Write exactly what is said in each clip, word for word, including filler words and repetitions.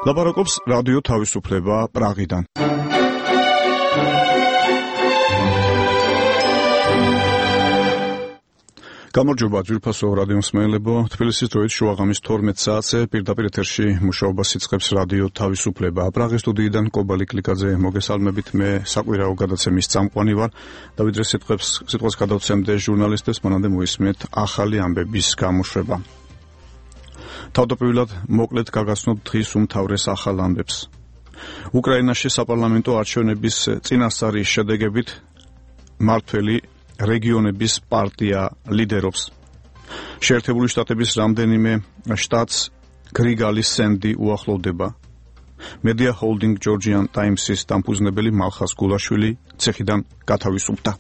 ლაპარაკობს რადიო თავისუფლება პრაღიდან. გამარჯობა ძვირფასო რადიო მსმენელებო, თბილისის დროით შუაღამის თორმეტ საათზე პირდაპირ ეთერში მუშაობას იწყებს რადიო თავისუფლება. პრაღის სტუდიიდან კობალი კლიკაძე მოგესალმებით, მე საკვირაო გადაცემის წამყვანი ვარ. დავიდრე სიტყვებს სიტყვას გადავცემდე ჟურნალისტებს, მანამდე მოისმენთ ახალი ამბების გამოშვება. თავდაპირველად მოკლედ გაგაცნობ დღის უმთავრეს ახალ ამბებს. უკრაინაში საპარლამენტო არჩევნების წინასწარი შედეგებით მმართველი რეგიონების პარტია ლიდერობს. შეერთებული შტატების რამდენიმე შტატს გრიგალის სენდი უახლოვდება. Media Holding Georgian Times-ის დამფუძნებელი მალხას გულაშვილი ცეხიდან გათავისუფლდა.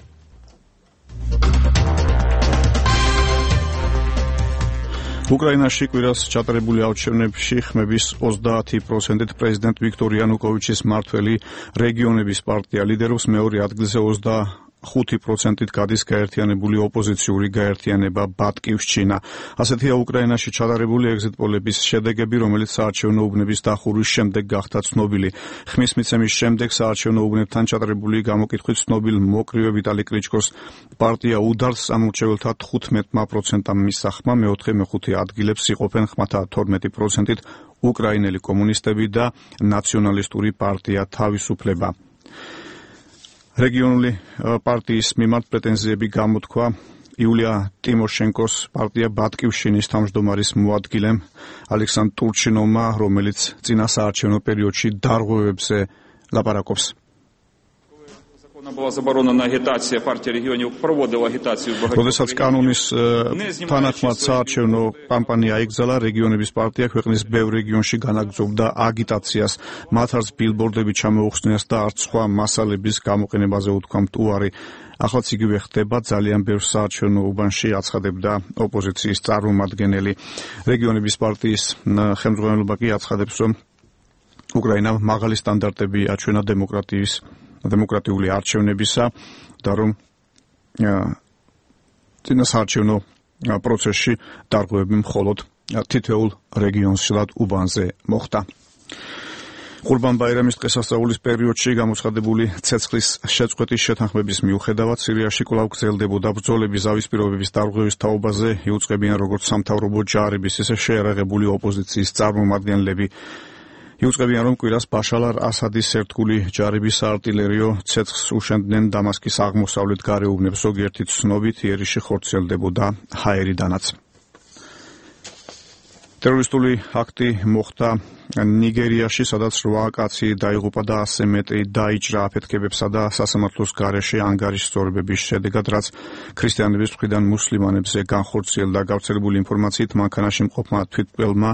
უკრაინაში კვირას ჩატარებული არჩევნებში ხმების ოცდაათი პროცენტით პრეზიდენტ ვიქტორ იანუკოვიჩის მმართველი რეგიონების პარტია ლიდერობს, მეორე ადგილზე ოცდახუთი პროცენტით გადის გაერთიანებული ოპოზიციური გაერთიანება ბატკივშჩინა. ასეთია უკრაინაში ჩატარებული ეგზიტ პოლების შედეგები, რომელიც საარჩევნო უბნების დახურვის შემდეგ გახდა ცნობილი. ხმის მიცემის შემდეგ საარჩევნო უბნებთან ჩატარებული გამოკითხვით ცნობილ მოკრივე ვიტალი კლიჩკოს პარტია უდარს ამორჩეველთა თხუთმეტმა პროცენტამ მისახმა, მეოთხე მეხუთე ადგილებს იყოფენ ხმათა თორმეტი პროცენტით უკრაინელი კომუნისტები და ნაციონალისტური პარტია თავისუფლება. რეგიონული პარტიის მიმართ პრეტენზიები გამოთქვა იულია ტიმოშენკოს პარტია ბატკივშჩინის თავმჯდომარის მოადგილემ ალექსანდრ ტურჩინოვმა, რომელიც წინა საარჩევნო პერიოდში დარღვევებზე ლაპარაკობს. როდესაც კანონის თანახმად საარჩევნო კამპანია იგზალა, რეგიონების პარტია ქვეყნის ბევრ რეგიონში განაგრძობდა აგიტაციას, მათ არც ბილბორდები ჩამოუხსნიას და არც სხვა მასალების გამოყენებაზე უთქვამთ უარი. ახლაც იგივე ხდება ძალიან ბევრ საარჩევნო უბანში, აცხადებდა ოპოზიციის წარმომადგენელი. რეგიონების პარტიის ხელმძღვანელობა კი აცხადებს, რომ უკრაინამ მაღალი სტანდარტები აჩვენა დემოკრატიის დემოკრატიული არჩევნებისა და რომ წინა საარჩევნო პროცესში დარღვევები მხოლოდ თითოეულ რეგიონსშად უბანზე მოხდა. ყურბან ბაირამის დღესასწაულის პერიოდში გამოცხადებული ცეცხლის შეწყვეტის შეთანხმების მიუხედავად სირიაში კვლავ გრძელდებოდა ბრძოლები ზავის პირობების დარღვევის თაობაზე, იუწყებიან როგორც სამთავრობო ჯარების, ისე შეიარაღებული ოპოზიციის წარმომადგენლები. იუწყებიან, რომ კვირას ბაშარ ალ-ასადის ერთგული ჯარების საარტილერიო ცეცხლს უშენდნენ დამასკის აღმოსავლეთ გარეუბნებს, ზოგიერთი ცნობით იერიში ხორციელდებოდა ჰაერიდანაც. ტერორისტული აქტი მოხდა ნიგერიაში, სადაც რვა კაცი დაიღუპა და ასზე მეტი დაიჭრა აფეთქებებსა და სასამართლოს გარეშე ანგარიშსწორებების შედეგად, რაც ქრისტიანების მხრიდან მუსლიმანებზე განხორციელდა. გავრცელებული ინფორმაციით მანქანაში მყოფმა თვითმკვლელმა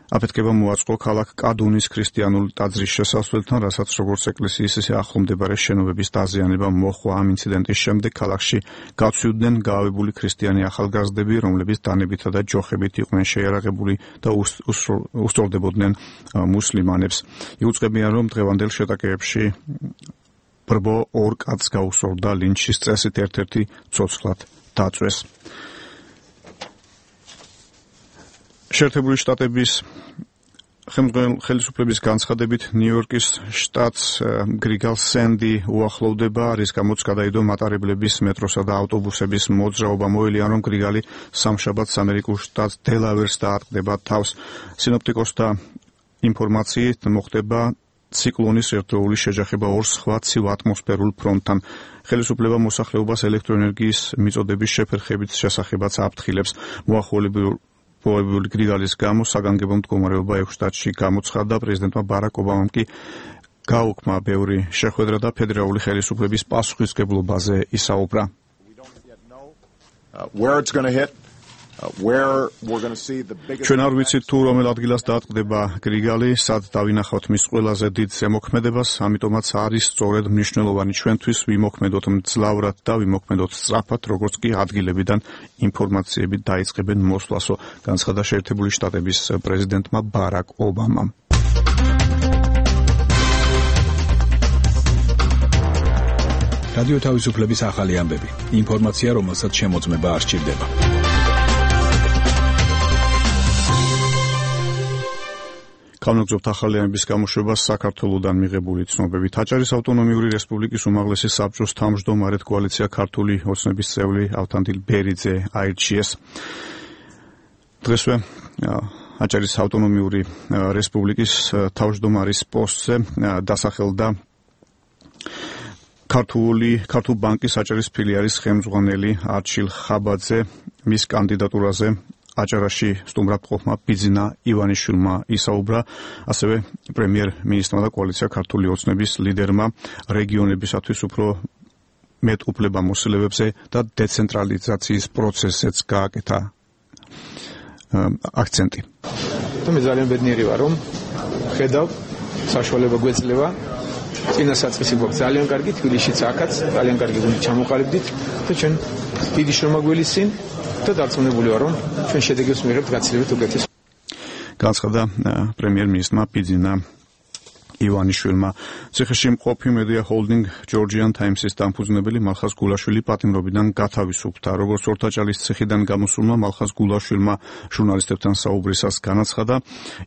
აფეთქება მოაწყო ქალაქ კადუნის ქრისტიანულ ტაძრის შესასვლელთან, რასაც როგორც ეკლესიის, ისე ახლომდებარე შენობების დაზიანება მოჰყვა. ამ ინციდენტის შემდეგ ქალაქში გაცვლიდნენ გაავებული ქრისტიანი ახალგაზრდები, რომლებიც დანებითა და ჯოხებით იყვნენ შეიარაღებული და უსწორდებოდნენ მუსლიმანებს. იუწყებიან, რომ დღევანდელ შეტაკებებში ბრბო ორ კაცს გაუსწორდა ლინჩის წესით, ერთ-ერთი ცოცხლად დაწვეს. შეერთებული შტატების ხელისუფლების განცხადებით ნიუ-იორკის შტატს გრიგალ სენდი უახლოვდება, რის გამოც გადაიდო მატარებლების, მეტროსა და ავტობუსების მოძრაობა. მოელიან, რომ გრიგალი სამშაბათს ამერიკულ შტატ დელავერს დაატყდება თავს. სინოპტიკოსთა ინფორმაციით მოხდება ციკლონის ერთდროული შეჯახება ორ სხვა ცივ ატმოსფერულ ფრონტთან. ხელისუფლება მოსახლეობას ელექტროენერგიის მიწოდების შეფერხებით შესახებაც აფრთხილებს. მოახოლებულ მოხმარებული გრიგალის გამო საგანგებო მდგომარეობა ექვს შტატში გამოცხადდა. პრეზიდენტმა ბარაკ ობამამ კი გაუქმა ბევრი შეხვედრა და ფედერალური ხელისუფლების პასუხისმგებლობაზე ისაუბრა. ჩვენ არ ვიცით თუ რომელ ადგილას დაატყდება გრიგალი, სად დავინახავთ მის ყველაზე დიდ ზემოქმედებას, ამიტომაც არის სწორედ მნიშვნელოვანი ჩვენთვის ვიმოქმედოთ მძლავრად და ვიმოქმედოთ სწრაფად, როგორც კი ადგილებიდან ინფორმაციები დაიწყებენ მოსვლასო, განცხადა შეერთებული შტატების პრეზიდენტმა ბარაკ ობამამ. რადიო თავისუფლების ახალი ამბები. ინფორმაცია, რომელსაც შემოწმება არ სჭირდება. განაგრძობთ ახალიანების გამოშვებას საქართველოდან მიღებული ცნობებით. აჭარის ავტონომიური რესპუბლიკის უმაღლესი საბჭოს თავმჯდომარედ კოალიცია ქართული ოცნების წევრი ავთანდილ ბერიძე აირჩიეს. დღესვე აჭარის ავტონომიური რესპუბლიკის თავმჯდომარის პოსტზე დასახელდა ქართული ქართულ ბანკის აჭარის ფილიალის ხელმძღვანელი არჩილ ხაბაძე. მის კანდიდატურაზე აჭარაში სტუმრად მყოფმა ბიძინა ივანიშვილმა ისაუბრა, ასევე პრემიერ-მინისტრმა და კოალიცია ქართული ოცნების ლიდერმა რეგიონებისათვის უფრო მეტ უფლებამოსილებებზე და დეცენტრალიზაციის პროცესზეც გააკეთა აქცენტი. მე ძალიან ბედნიერი ვარ, რომ ხედავ საშუალება გვეძლევა წინა საწყისი გვაქვს ძალიან კარგი, თბილისშიც აქაც ძალიან კარგი გუნდი ჩამოყალიბდით და ჩვენ დიდი შრომა გველისინ და დარწმუნებული ვარ, რომ ჩვენ შედეგებს მიღებთ გაცილებით უკეთეს. განცხადა პრემიერ-მინისტრმა ბიძინა ივანიშვილმა. ციხეში მყოფი მედია ჰოლდინგ ჯორჯიან ტაიმსის დამფუძნებელი მალხაზ გულაშვილი პატიმრობიდან გათავისუფლდა. როგორც ორთაჭალის ციხიდან გამოსულმა მალხაზ გულაშვილმა ჟურნალისტებთან საუბრისას განაცხადა,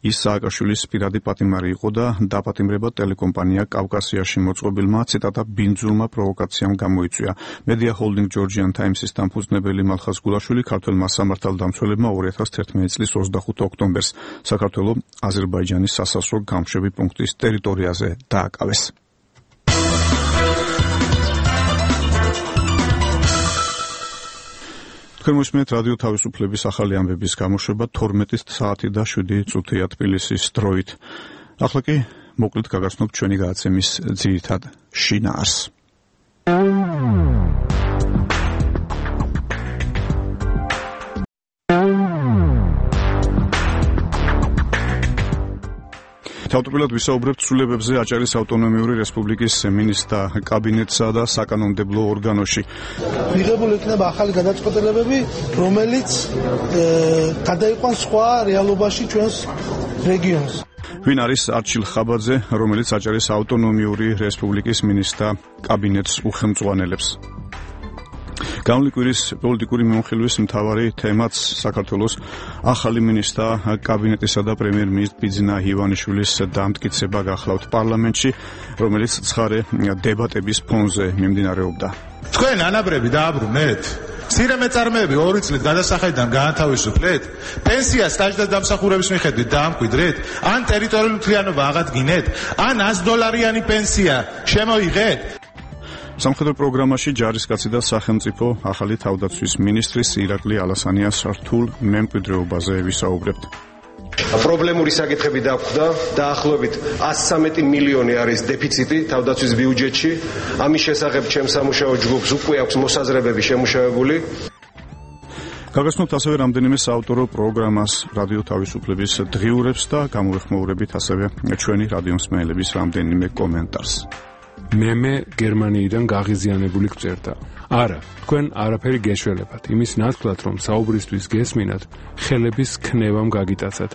ის სააკაშვილის პირადი პატიმარი იყო და დაპატიმრება ტელეკომპანია კავკასიაში მოწყობილმა ციტატა ბინძურმა პროვოკაციამ გამოიწვია. მედია ჰოლდინგ ჯორჯიან ტაიმსის დამფუძნებელი მალხაზ გულაშვილი ქართველმა სამართალდამცველებმა ორი ათას თერთმეტი წლის ოცდახუთი ოქტომბერს საქართველოს აზერბაიჯანის სასაზღვრო გამშვები პუნქტის ტერიტორიაზე დააკავეს. თქვენ მოსმენთ რადიო თავისუფლების ახალი ამბების გამოშვება თორმეტი საათი და შვიდი წუთია თბილისის დროით. ახლა კი მოკლედ გაგაცნობთ ჩვენი გადაცემის ძირითად შინაარსს. თავდაპირველად ვისაუბრებთ ცვლილებებზე აჭარის ავტონომიური რესპუბლიკის მინისტრთა კაბინეტსა და საკანონმდებლო ორგანოში. მიღებული იქნება ახალი გადაწყვეტილებები, რომელიც გადაიყვანს სხვა რეალობაში ჩვენს რეგიონს. ვინ არის არჩილ ხაბაძე, რომელიც აჭარის ავტონომიური რესპუბლიკის მინისტრთა კაბინეტს უხელმძღვანელებს? გამოვლის კვირის პოლიტიკური მიმოხილვის მთავარი თემაც საქართველოს ახალი მინისტრთა კაბინეტისა და პრემიერ-მინისტრის ბიძინა ივანიშვილის დამტკიცება გახლავთ პარლამენტში, რომელიც ცხარე დებატების ფონზე მიმდინარეობდა. თქვენ ანაბრები დააბრუნეთ? მცირე მეწარმეები ორი წლით გადასახედიდან გაათავისუფლეთ? პენსია სტაჟდას დამსახურების მიხედვით დაამკვიდრეთ? ან ტერიტორიული მთლიანობა აღადგინეთ? ან ას დოლარიანი პენსია შემოიღეთ? სამხედრო პროგრამაში ჯარისკაცი და სახელმწიფო ახალი თავდაცვის მინისტრის ირაკლი ალასანიას რთულ მემკვიდრეობაზე ვისაუბრებთ. პრობლემური საკითხები დაგვხვდა, დაახლოებით ას ცხრამეტი მილიონი არის დეფიციტი თავდაცვის ბიუჯეტში. ამის შესახებ ჩემს სამუშაო ჯგუფს უკვე აქვს მოსაზრებები შემუშავებული. გაგაცნობთ ასევე რამდენიმე საავტორო პროგრამას რადიო თავისუფლების დღიურებს და გამოვიხმაურებით ასევე ჩვენი რადიომსმენელების რამდენიმე კომენტარს. მემე გერმანიიდან გაღიზიანებული გწერდა. არა, თქვენ არაფერი გეშველებათ. იმის ნათქვად, რომ საუბრისთვის გესმინათ, ხელების ქნევამ გაგიტაცათ.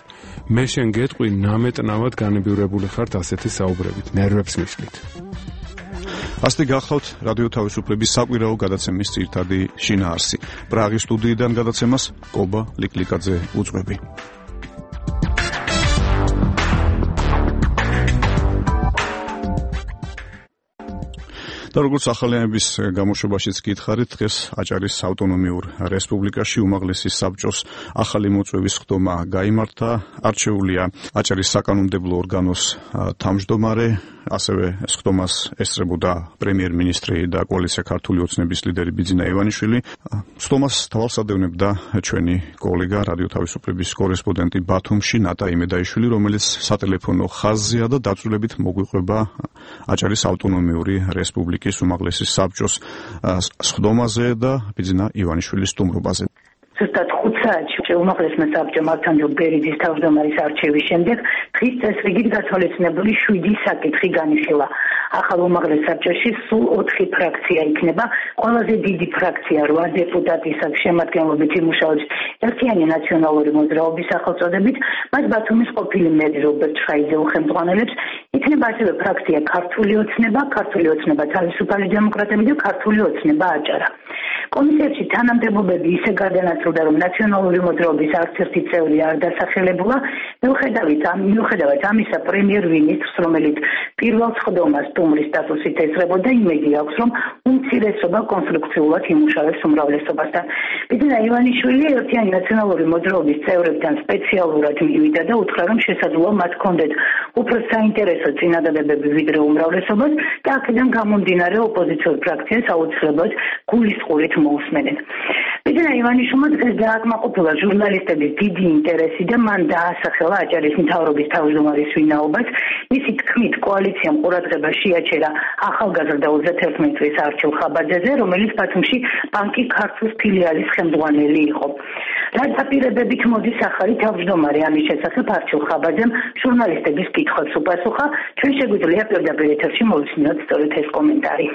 მე შენ გეტყვი, ნამეტნავად განებივრებული ხართ ასეთი საუბრებით, ნერვებს მისვლით. ასეთი გახლავთ რადიო თავისუფლების საკვირაო გადაცემის ძირითადი შინაარსი. პრაღის სტუდიიდან გადაცემას კობა ლიკლიკაძე უძღვები. და როგორც ახალიანების გამოშვებაშიც გითხარით, დღეს აჭარის ავტონომიურ რესპუბლიკაში უმაღლესი საბჭოს ახალი მოწვევის ხდომა გაიმართა. არჩეულია აჭარის საკანონმდებლო ორგანოს თავმჯდომარე, ასევე ეს ხდომას ესწრებოდა პრემიერ-მინისტრი და კოალიცია ქართული ოცნების ლიდერი ბიძინა ივანიშვილი. ხდომას თვალსადევნებდა ჩვენი კოლეგა რადიო თავისუფლების კორესპონდენტი ბათუმში ნატა იმედაიშვილი, რომელიც სატელეფონო ხაზზეა და დაწვრილებით მოგვიყვება აჭარის ავტონომიური რესპუბლიკის უმაღლესი საბჭოს ხდომაზე და ბიძინა ივანიშვილის სტუმრობაზე. ზუსტად ხუთ საათში უმაღლესმა საბჭომ ავთანდილ ბერიძის თავმჯდომარის არჩევის შემდეგ დღის წესრიგით გათვალისწინებული შვიდი საკითხი განიხილა. ახალ უმაღლეს საბჭოში სულ ოთხი ფრაქცია იქნება. ყველაზე დიდი ფრაქცია რვა დეპუტატის შემადგენლობით იმუშავებს ერთიანი ნაციონალური მოძრაობის სახელწოდებით, მას ბათუმის ყოფილი მერი რობერტ შაიძე უხელმძღვანელებს. იქნება ასევე ფრაქცია ქართული ოცნება, ქართული ოცნება თავისუფალი დემოკრატები და ქართული ოცნება აჭარა. კომისიებში თანამდებობები ისე გადანაწილდა, რომ ნაციონალური მოძრაობის არც ერთი წევრი არ დასახელებულა. მიუხედავად ამისა, პრემიერ-მინისტრს, რომელიც პირველ სხდომას სტუმრის სტატუსით ესწრებოდა, იმედი აქვს, რომ უმცირესობა კონსტრუქციულად იმუშავებს უმრავლესობასთან. ბიძინა ივანიშვილი ერთიანი ნაციონალური მოძრაობის წევრებთან სპეციალურად მივიდა და უთხრა, რომ შესაძლოა მათ ჰქონდეთ უფრო საინტერესო წინადადებები ვიდრე უმრავლესობას და აქედან გამომდინარე ოპოზიციურ ფრაქციას აუცილებლად გულისყურით მოусმენენ. ბიძინა ივანიშვილმა დღეს დააკმაყოფილა ჟურნალისტების დიდი ინტერესი და მან დაასახელა აჭარის მთავრობის თავმჯდომარის ვინაობას. მისი თქმით, კოალიციამ ყურადღება შეაჩერა ახალგაზრდა ოცდაათერთმეტი წლის არჩილ ხაბაძეზე, რომელიც ბათუმში ბანკი ქართლის ფილიალის ხელმძღვანელი იყო. რა დაპირებებით მოდის ახალი თავმჯდომარე ამის შესახებ არჩილ ხაბაძემ ჟურნალისტების კითხვებს უპასუხა. ჩვენ შეგვიძლია პირდაპირ ეთერში მოვისმინოთ სწორედ ეს კომენტარი.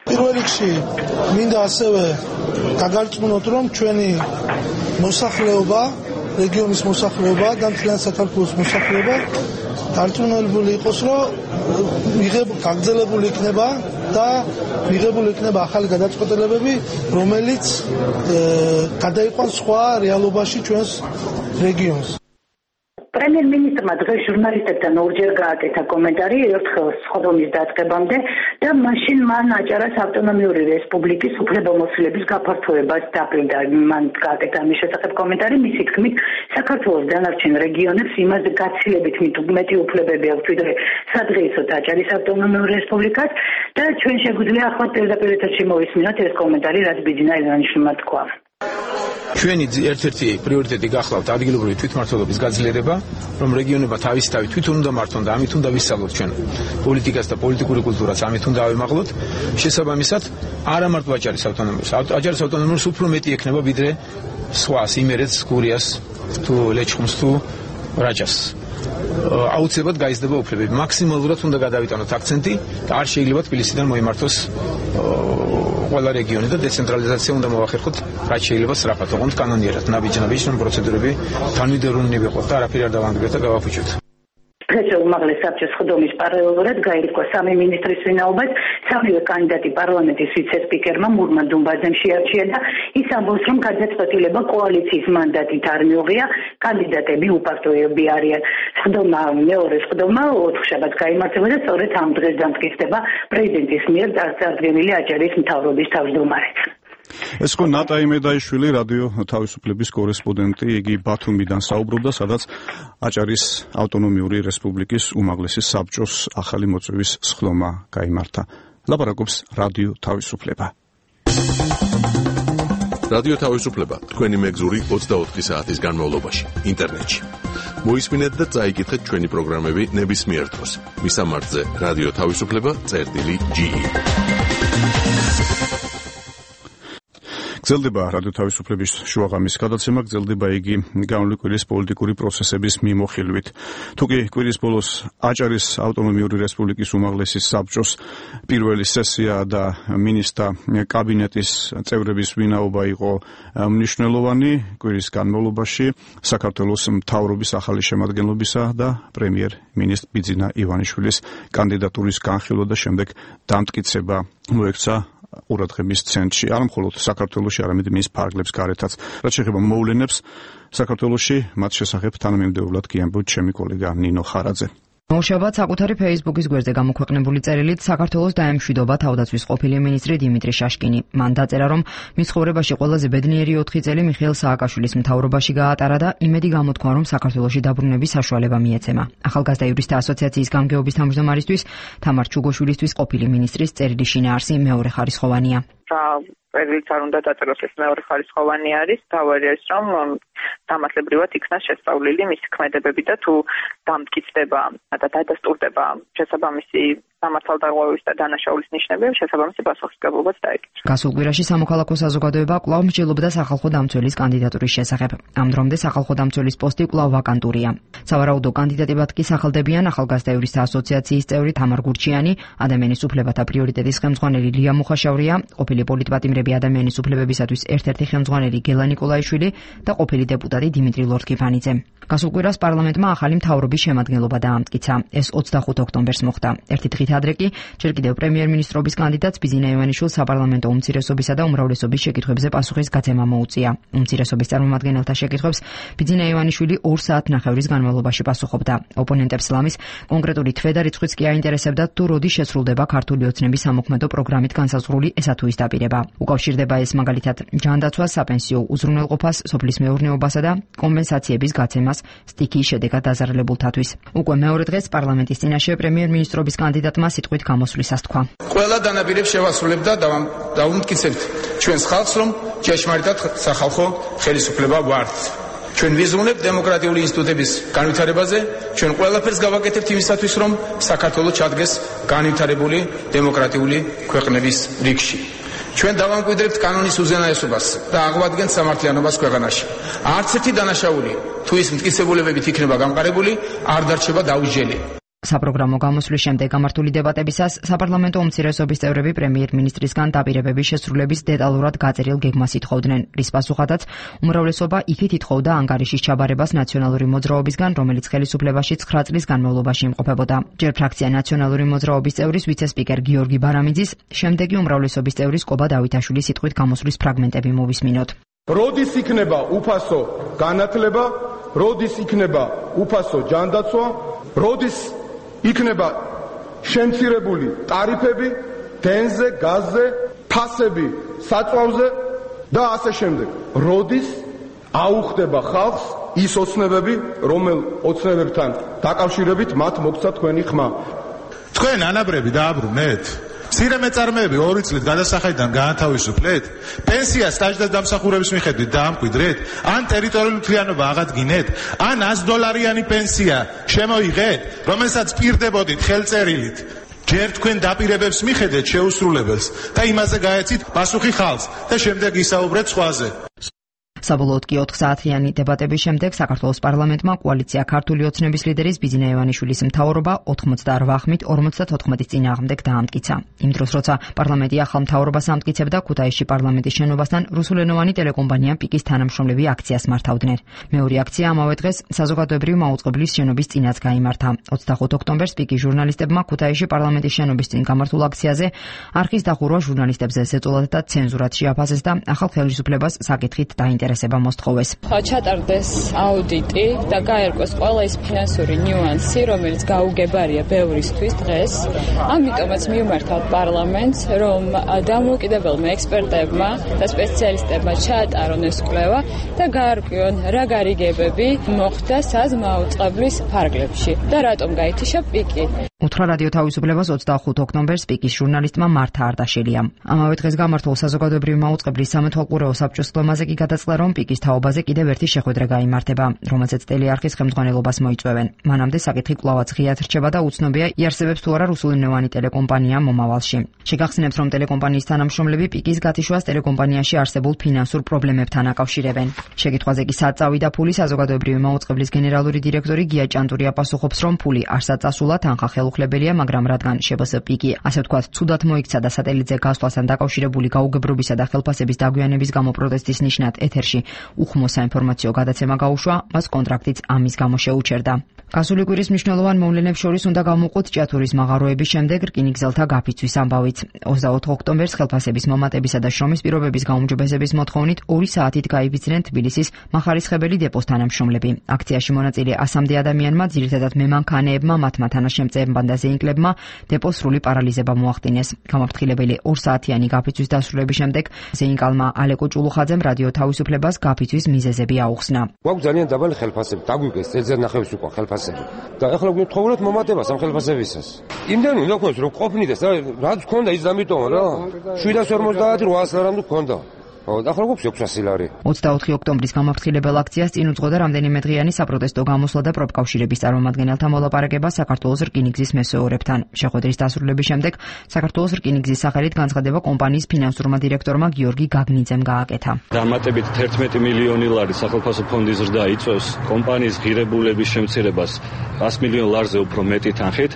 პირველ რიგში მინდა ასევე დაგარწმუნოთ, რომ ჩვენი მოსახლეობა, რეგიონის მოსახლეობა და მთლიან საქართველოს მოსახლეობა დარწმუნებული იყოს, რომ გაგრძელებული იქნება და მიღებული იქნება ახალი გადაწყვეტილებები, რომელიც გადაიყვანს სხვა რეალობაში ჩვენს რეგიონს. პრემიერ-მინისტრმა დღეს ჟურნალისტებთან ორჯერ გააკეთა კომენტარი ერთხელ სხდომის დაწყებამდე და მაშინ მან აჭარას ავტონომიური რესპუბლიკის უფლებამოსილების გაფართოებას დაპირდა. მან გააკეთა ამის შესახებ კომენტარი, მისი თქმით, საქართველოს დანარჩენ რეგიონებს იმაზე გაცილებით მეტი უფლებები აქვს ვიდრე სადღეისოდ აჭარის ავტონომიურ რესპუბლიკას და ჩვენ შეგვიძლია ახლა პირდაპირ ეთერში მოვისმინოთ ეს კომენტარი, რაც ბიძინა ივანიშვილმა თქვა. ჩვენი ერთ-ერთი პრიორიტეტი გახლავთ ადგილობრივი თვითმმართველობის გაძლიერება, რომ რეგიონებმა თავისი თავი თვითონ უნდა მართონ და ამით უნდა ვისწავლოთ ჩვენ პოლიტიკას და პოლიტიკური კულტურას, ამით უნდა ავიმაღლოთ. შესაბამისად, არა მარტო აჭარის ავტონომიურს, აჭარის ავტონომიურს უფრო მეტი ექნება ვიდრე სხვას, იმერეთს, გურიას, თუ ლეჩხუმს, თუ რაჭას. აუცილებლად გაიზრდება უფლებები. მაქსიმალურად უნდა გადავიტანოთ აქცენტი და არ შეიძლება თბილისიდან მოიმართოს ყველა რეგიონი და დეცენტრალიზაცია უნდა მოახერხოთ, რაც შეიძლება სწრაფად, ოღონდ კანონიერად, ნაბიჯ-ნაბიჯ, რომ პროცედურები თანმიმდევრული ვიყოთ და არაფერი არ დავანგრიოთ და გავაფუჭოთ. დღეს უმაღლეს საბჭოს სხდომის პარალელურად გაირკვა სამი მინისტრის ვინაობას. სამივე კანდიდატი პარლამენტის ვიცე-სპიკერმა მურმან დუმბაძემ შეარჩია და ის ამბობს, რომ გადაწყვეტილება კოალიციის მანდატით არ მიუღია, კანდიდატები უპარტოეები არიან. სხდომა მეორე სხდომა ოთხშაბათს გაიმართება და სწორედ ამ დღეს დამტკიცდება პრეზიდენტის მიერ წარდგენილი აჭარის მთავრობის თავმჯდომარედ. ეს ხო ნატა იმედაიშვილი, რადიო თავისუფლების კორესპონდენტი, იგი ბათუმიდან საუბრობდა, სადაც აჭარის ავტონომიური რესპუბლიკის უმაღლესი საბჭოს ახალი მოწვევის სხდომა გაიმართა. ლაპარაკობს რადიო თავისუფლება. რადიო თავისუფლება თქვენი მეგზური ოცდაოთხი საათის განმავლობაში ინტერნეტში. მოისმინეთ და წაიკითხეთ ჩვენი პროგრამები ნებისმიერ დროს. მისამართზე რადიო თავისუფლება წერტილი ჯი ი. გრძელდება რადიო თავისუფლების შუაღამის გადაცემა, გრძელდება იგი განვლილი კვირის პოლიტიკური პროცესების მიმოხილვით. თუკი კვირის ბოლოს აჭარის ავტონომიური რესპუბლიკის უმაღლესი საბჭოს პირველი სესია და მინისტრთა კაბინეტის წევრების ვინაობა იყო მნიშვნელოვანი, კვირის განმავლობაში საქართველოს მთავრობის ახალი შემადგენლობისა და პრემიერ-მინისტრ ბიძინა ივანიშვილის კანდიდატურის განხილვა და შემდეგ დამტკიცება მოექცა ყურადღების ცენტრში, არა მხოლოდ საქართველოში, არამედ მის ფარგლებს გარეთაც. რაც შეეხება მოვლენებს საქართველოში, მათ შესახებ თანამიმდევრულად გიამბობთ ჩემი კოლეგა ნინო ხარაძე. მოშაბათ საკუთარი Facebook-ის გვერდზე გამოქვეყნებული წერილით საქართველოს დაემშვიდობა თავდაცვის ყოფილი მინისტრი დიმიტრი შაშკინი. მან დაწერა, რომ მის ცხოვრებაში ყველაზე ბედნიერი ოთხი წელი მიხეილ სააკაშვილის მთავრობაში გაატარა და იმედი გამოთქვა, რომ საქართველოში დაბრუნების საშუალება მიეცემა. ახალგაზრდა იურისტთა ასოციაციის გამგეობის თავმჯდომარისთვის თამარ ჩუგოშვილისთვის ყოფილი მინისტრის წერილი შინაარსი მეორე ხარისხოვანია. წერილიც არ უნდა დაწეროს, ეს მეორე ხარისხოვანი არის, თავი არის, რომ დამატებრივად იქნა შესწავლილი მისი ქმედებები და თუ დამტკიცდება და დადასტურდება შესაბამისი სამართალდაღოვების და დანაშაულის ნიშნები შესაბამისი პასუხისმგებლობაც დაეკისრა. გასულ კვირაში სამოქალაქო საზოგადოება კვლავ მსჯელობდა სახალხო დამცველის კანდიდატურის შესახებ. ამ დრომდე სახალხო დამცველის პოსტი კვლავ ვაკანტურია. სავარაუდო კანდიდატებად კი სახალდებიან ახალგაზრდა იურისტთა ასოციაციის წევრი თამარ გურჩიანი, ადამიანის უფლებათა პრიორიტეტის ხელმძღვანელი ლია მუხაშავრია, ყოფილი პოლიტპატიმრები ადამიანის უფლებებისათვის ერთ-ერთი ხელმძღვანელი გელა ნიკოლაიშვილი და ყოფილი დეპუტატი დიმიტრი ლორთქიფანიძე. გასულ კვირას პარლამენტმა ახალი მთავრობის შემადგენლობა დაამტკიცა. ეს ოცდახუთ ოქტომბერს მოხდა. ერთი დღით ადრე კი ჯერ კიდევ პრემიერ-მინისტრობის კანდიდატს ბიძინა ივანიშვილს საპარლამენტო უმცირესობისა და უმრავლესობის შეკითხვებზე პასუხის გაცემა მოუწია. უმცირესობის წარმომადგენელთა შეკითხვებს ბიძინა ივანიშვილი ორ საათნახევრის განმავლობაში პასუხობდა. ოპონენტებს ლამის კონკრეტული თვე და რიცხვიც კი აინტერესებდათ თუ როდი შესრულდება ქართული ოცნების სამოქმედო პროგრამით განსაზღვრული ესა თუ ის დაპირება. უკავშირდება ეს მაგალითად ჯანდაცვას, საპენსიო უზრუნველყოფას, სოფლის მეურნეობასა და კომპენსაციების გაცემას სტიქიის შედეგად დაზარალებულთათვის. უკვე მეორე დღეს პარლამენტის წინაშე პრემიერ-მინისტრობის კანდიდატმა სიტყვით გამოსვლისას თქვა. ყველა დანაპირებს შევასრულებთ და დავუმტკიცებთ ჩვენს ხალხს, რომ ჭეშმარიტად სახალხო ხელისუფლება ვართ. ჩვენ ვიზრუნებთ დემოკრატიული ინსტიტუტების განვითარებაზე, ჩვენ ყველაფერს გავაკეთებთ იმისათვის, რომ საქართველოს ჩადგეს განვითარებული დემოკრატიული ქვეყნების რიგში. ჩვენ დავამკვიდრებთ კანონის უზენაესობას და აღვადგენთ სამართლიანობას ქვეყანაში. არც ერთი დანაშაული თუ ის მტკიცებულებებით იქნება გამყარებული, არ დარჩება დაუსჯელი. საპროგრამო გამოსვლის შემდეგ გამართული დებატებისას საპარლამენტო უმცირესობის წევრები პრემიერ-მინისტრისგან დაპირებების შესრულების დეტალურად გაწერილ გეგმას ითხოვდნენ, რის პასუხადაც უმრავლესობა იქით ითხოვდა ანგარიშის ჩაბარებას ნაციონალური მოძრაობისგან, რომელიც ხელისუფლებაში ცხრა წლის განმავლობაში იმყოფებოდა. ჯერ ფრაქცია ნაციონალური მოძრაობის წევრის ვიცე-სპიკერ გიორგი ბარამიძის, შემდეგი უმრავლესობის წევრის კობა დავითაშვილის სიტყვით გამოსვლის ფრაგმენტები მოვისმინოთ. როდის იქნება უფასო განათლება, როდის იქნება უფასო ჯანდაცვა, როდის იქნება შემცირებული ტარიფები დენზე, გაზზე, ფასები საწვავზე და ასე შემდეგ. როდის აუხდება ხალხს ის ოცნებები, რომელ ოცნებებთან დაკავშირებით მათ მოგცა თქვენი ხმა. თქვენ ანაბრები დააბრუნეთ? მცირე მეწარმეები ორი წლით გადასახადიდან გაანთავისუფლეთ? პენსია სტაჟდას დამსახურების მიხედვით დაამკვიდრეთ? ან ტერიტორიული მთლიანობა აღადგინეთ? ან ას დოლარიანი პენსია შემოიღეთ, რომელსაც პირდებოდით ხელწერილით? ჯერ თქვენ დაპირებებს მიხედეთ შეუსრულებელს და იმაზე გაეცით პასუხი ხალხს და შემდეგ ისაუბრეთ სხვაზე. საბოლოოდ კი ოთხ საათიანი დებატების შემდეგ საქართველოს პარლამენტმა კოალიცია ქართული ოცნების ლიდერის ბიძინა ივანიშვილის მთავრობა ოთხმოცდაორ ხმით ორმოცდათოთხმეტის წინააღმდეგ დაამტკიცა. იმ დროს, როცა პარლამენტი ახალ მთავრობას ამტკიცებდა, ქუთაისში პარლამენტის შენობასთან რუსულენოვანი ტელეკომპანია პიკის თანამშრომლები აქციას მართავდნენ. მეორე აქცია ამავე დღეს საზოგადოებრივ მაუწყებლის შენობის წინაც გაიმართა. ოცდახუთ ოქტომბერს პიკის ჟურნალისტებმა ქუთაისში პარლამენტის შენობის წინ გამართულ აქციაზე არხის დახურვა ჟურნალისტებზე ზეწოლად და ცენზურად შეაფასეს და ახალ ხელისუფლებას საკითხით დაინტერესდა. ჩატარდეს აუდიტი და გაერკვეს ყველა ის ფინანსური ნიუანსი, რომელიც გაუგებარია ბევრისთვის დღეს. ამიტომაც მივმართავთ პარლამენტს, რომ დამოუკიდებელმა ექსპერტებმა და სპეციალისტებმა ჩაატარონ ეს კვლევა და გაარკვიონ რა გარიგებები მოხდა საზმაუწყებლის ფარგლებში და რატომ გაითიშა პიკი. უთხრა რადიო თავისუფლებას ოცდახუთ ოქტომბერს პიკის ჟურნალისტმა მართა არდაშელიამ. ამავე დღეს გამართულ საზოგადოებრივი მაუწყებლის სამეთვალყურეო საბჭოს კლომაზე კი გადაწყდა, რომ პიკის თაობაზე კიდევ ერთი შეხვედრა გაიმართება, რომელზეც ტელეარხის ხელმძღვანელობას მოიწვევენ. მანამდე საკითხი კვლავაც ღიად რჩება და უცნობია იარსებებს თუ არა რუსულენოვანი ტელეკომპანია მომავალში. შეგახსენებთ, რომ ტელეკომპანიის თანამშრომლები პიკის გათიშვას ტელეკომპანიაში არსებულ ფინანსურ პრობლემებთან აკავშირებენ. შეკითხვაზე კი საწავი და ფული საზოგადოებრივი მაუწყებლის გენერალური დირექტორი გია ჭანტური აპასუხობს, რომ ფული არსად წასულა თანხა ხელუხლებელია, მაგრამ რადგან შებს პიკი, ასე ვთქვათ, ცუდად მოიქცა და სატელიტზე გასვლასთან დაკავშირებული გაუგებრობისა და ხელფასების დაგვიანების გამო პროტესტის ნიშნად ეთერში უხმო საინფორმაციო გადაცემა გაუშვა, მას კონტრაქტიც ამის გამო შეუჩერდა. გასული კვირის მნიშვნელოვან მოვლენებს შორის უნდა გამოვყოთ ჭიათურის მაღაროების შემდეგ რკინიგზელთა გაფიცვის ამბავიც. ოცდაოთხ ოქტომბერს ხელფასების მომატებისა და შრომის პირობების გაუმჯობესების მოთხოვნით ორი საათით გაიფიცნენ თბილისის მახარისხებელი დეპოს თანამშრომლები. აქციაში მონაწილე ასამდე ადამიანმა, ძირითადად მემანქანეებმა, მათმა თანაშემწეებმა და ზეინკლებმა დეპოს სრული პარალიზება მოახდინეს. გამაფრთხილებელი ორ საათიანი გაფიცვის დასრულების შემდეგ ზეინკალმა ალეკო ჭულუხაძემ რადიო თავისუფლებას გაფიცვის მიზეზები აუხსნა. გვაქვს ძალიან დაბალი ხელფასები, დაგვიგეს წელზე ნახევრის უკვე ხელფასები. და ახლა გვთხოვოთ მომატებას ამ ხელფასებისას. იმდენი უნდა გქონდეს რომ ყოფნიდეს და რაც გქონდა ის ამიტომ რა შვიდას ორმოცდაათი რვაას რამე გქონდა. ო, ახლა გვაქვს ექვსასი ლარი. ოცდაოთხი ოქტომბრის გამაფრთხილებელ აქციას წინ უძღოდა რამდენიმე დღიანი საპროტესტო გამოსვლა და პროფკავშირების წარმომადგენელთა მოლაპარაკება საქართველოს რკინიგზის მესვეორებთან. შეხვედრის დასრულების შემდეგ საქართველოს რკინიგზის სახელით განცხადება კომპანიის ფინანსურმა დირექტორმა გიორგი გაგნიძემ გააკეთა. დამატებით თერთმეტი მილიონი ლარი სახელმწიფო ფონდის ზრდა იწვევს კომპანიის ღირებულების შემცირებას ას მილიონ ლარზე უფრო მეტი თანხით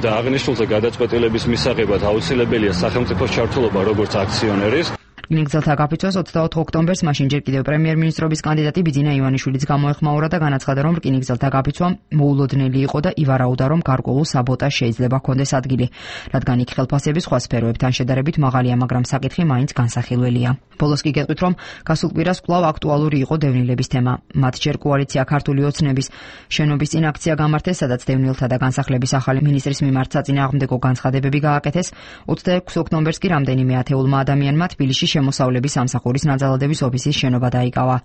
და აღნიშნულზე გადაწყვეტილების მისაღებად აუცილებელია სახელმწიფოს ჩართულობა როგორც აქციონერის. რკინიგზელთა გაფიცვას ოცდაოთხ ოქტომბერს მაშინ ჯერ კიდევ პრემიერ-მინისტრობის კანდიდატი ბიძინა ივანიშვილიც გამოეხმაურა და განაცხადა, რომ რკინიგზელთა გაფიცვა მოულოდნელი იყო და ივარაუდა, რომ გარკვეულ საბოტაჟს შეიძლება ჰქონდეს ადგილი, რადგან იქ ხელფასები სხვა სფეროებთან შედარებით მაღალია, მაგრამ საკითხი მაინც განსახილველია. ბოლოს კი გეტყვით, რომ გასულ კვირას კვლავ აქტუალური იყო დევნილების თემა. მათ ჯერ კოალიცია ქართული ოცნების შენობის წინ აქცია გამართეს, სადაც დევნილთა და განსახლების ახალი მინისტრის მიმართ საწინააღმდეგო განცხადებები გააკეთეს. ოცდაექვსი ოქტომბერს კი რამდენიმე ათეულმა ადამიანმა თბილისში შემოსავლების სამსახურის ნაძალადების ოფისის შენობა დაიკავა.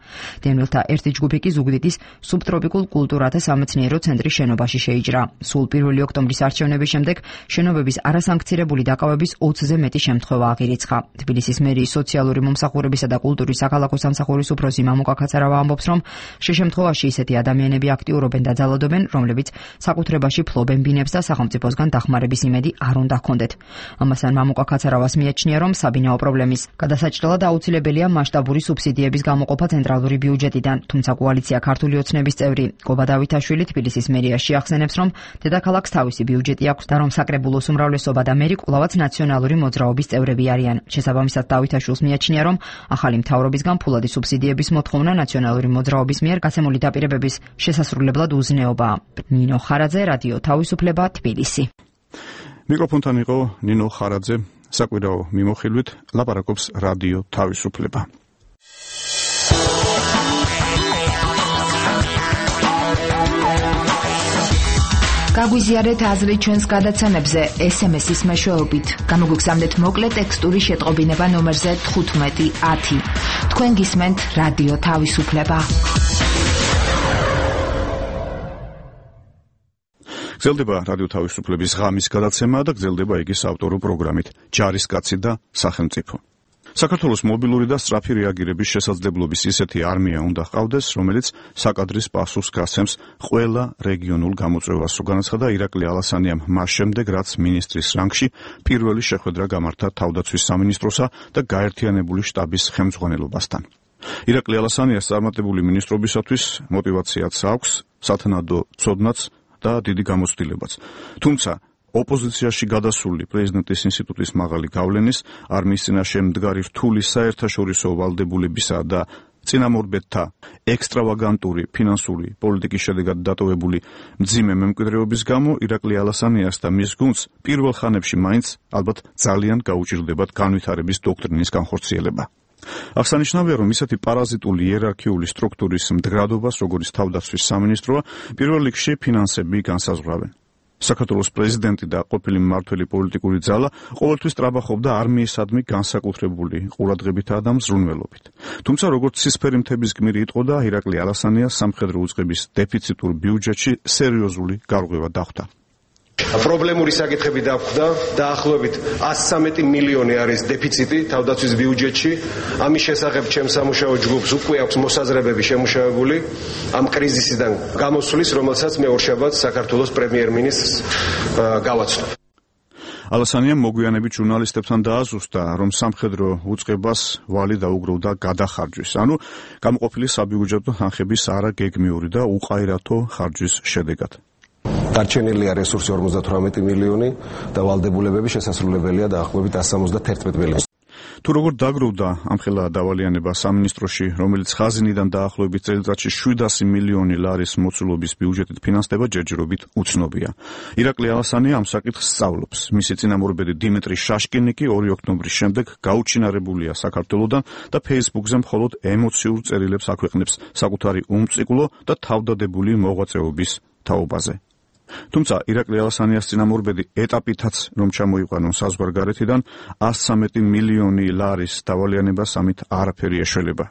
დევნილთა ერთი ჯგუფი კი ზუგდიდის სუბტროპიკულ კულტურათა სამეცნიერო ცენტრის შენობაში შეიჭრა. სულ პირველი ოქტომბრის არჩევნების შემდეგ შენობების არასანქცირებული დაკავების ოცზე მეტი შემთხვევა აღირიცხა. თბილისის მერიის სოციალური მომსახურებისა და კულტურის საქალაქო სამსახურის უფროსი მამუკა ქაცარავა ამბობს, რომ შეშემთხვევაში ისეთი ადამიანები აქტიურობენ და ძალადობენ, რომლებიც საკუთრებაში ფლობენ ბინებს და სახელმწიფოსგან დახმარების იმედი არ უნდა ჰქონდეთ. ამასთან მამუკა ქაცარავას მიაჩნია, რომ საბინაო პრობლემის გადასაჭრელად აუცილებელია მასშტაბური სუბსიდიების გამოყოფა ცენტრალური ბიუჯეტიდან, თუმცა კოალიცია ქართული ოცნების წევრი გობა დავითაშვილი თბილისის მერიაში ახსენებს, რომ დედაქალაქს თავისი ბიუჯეტი აქვს და რომ საკრებულოს უმრავლესობა და მერი კვლავაც ნაციონალური მოძრაობის წევრები არიან. შესაბამისად დავითაშვილს მიაჩნია, რომ ახალი მთავრობისგან ფულადი სუბსიდიების მოთხოვნა ნაციონალური მოძრაობის მიერ გასემული დაპირებების შესასრულებლად უზნეობაა. ნინო ხარაძე, რადიო თავისუფლება, თბილისი. მიკროფონთან იყო ნინო ხარაძე. საკვირაო მიმოხილვით ლაპარაკობს რადიო თავისუფლება. გაგვიზიარეთ აზრი ჩვენს გადაცემებზე ეს ემ ესის მეშვეობით. გამოგვიგზავნეთ მოკლე ტექსტური შეტყობინება ნომერზე თხუთმეტი ათი. თქვენ გისმენთ რადიო თავისუფლება. გრძელდება რადიო თავისუფლების ღამის გადაცემა და გრძელდება იგი საავტორო პროგრამით ჯარისკაცი და სახელმწიფო. საქართველოს მობილური და სწრაფი რეაგირების შესაძლებლობის ისეთი არმია უნდა ჰყავდეს, რომელიც საკადრის პასუხს გასცემს ყველა რეგიონულ გამოწვევას, რო განაცხადა ირაკლი ალასანიამ მას შემდეგ, რაც მინისტრის რანგში პირველი შეხვედრა გამართა თავდაცვის სამინისტროსა და გაერთიანებული შტაბის ხელმძღვანელობასთან. ირაკლი ალასანიას წარმატებული მინისტრობისათვის мотиваციაც აქვს, სათანადო ცოდნაც და დიდი გამოცდილებაც. თუმცა ოპოზიციაში გადასული პრეზიდენტის ინსტიტუტის მაღალი გავლენის, არმიის წინაშე მდგარი რთული საერთაშორისო ვალდებულებისა და წინამორბედთა ექსტრავაგანტური ფინანსური პოლიტიკის შედეგად დატოვებული მძიმე მემკვიდრეობის გამო ირაკლი ალასანიას და მის გუნდს პირველ ხანებში მაინც ალბათ ძალიან გაუჭირდებათ განვითარების დოქტრინის განხორციელება. აღსანიშნავია, რომ ისეთი პარაზიტული იერარქიული სტრუქტურის მდგრადობას, როგორც თავდაცვის სამინისტროა, პირველ რიგში ფინანსები განსაზღვრავენ. საქართველოს პრეზიდენტი და ყოფილი მმართველი პოლიტიკური ძალა ყოველთვის ტრაბახობდა არმიისადმი განსაკუთრებული ყურადღებითა და მზრუნველობით. თუმცა, როგორც ცისფერი მთების გმირი იტყოდა, ირაკლი ალასანიას სამხედრო უწყების დეფიციტურ ბიუჯეტში სერიოზული გარღვევა დახვდა. პრობლემური საკითხები დაგვხვდა, დაახლოებით ას სამეტი მილიონი არის დეფიციტი თავდაცვის ბიუჯეტში. ამის შესახებ ჩემს სამუშაო ჯგუფს უკვე აქვს მოსაზრებები შემუშავებული ამ კრიზისიდან გამოსვლის, რომელსაც მე ორშაბათს საქართველოს პრემიერ-მინისტრს გავაცნობ. ალასანიამ მოგვიანებით ჟურნალისტებთან დააზუსტა, რომ სამხედრო უწყებას ვალი დაუგროვდა გადახარჯვის, ანუ გამოყოფილი საბიუჯეტო თანხების არაგეგმიური და უყაირათო ხარჯვის შედეგად. დარჩენილია რესურსი ორმოცდათვრამეტი მილიონი და ვალდებულებები შესასრულებელია დაახლოებით ას სამოცდათერთმეტი მილიონი. თუ როგორ დაგროვდა ამხელა დავალიანება სამინისტროში, რომელიც ხაზინიდან დაახლოებით წელიწადში შვიდასი მილიონი ლარის მოცულობის ბიუჯეტით ფინანსდება, ჯერჯერობით უცნობია. ირაკლი ალასანია ამ საკითხს სწავლობს. მისი წინამორბედი დიმიტრი შაშკინი კი ორი ოქტომბრის შემდეგ გაუჩინარებულია საქართველოდან და Facebook-ზე მხოლოდ ემოციურ წერილებს აქვეყნებს საკუთარი უმწიკლო და თავდადებული მოღვაწეობის თაობაზე. თუმცა ირაკლი ალასანიას წინამორბედი ეტაპითაც რომ ჩამოიყვანონ საზღვარგარეთიდან ას სამეტი მილიონი ლარის დავალიანებას ამით არაფერი ეშველება.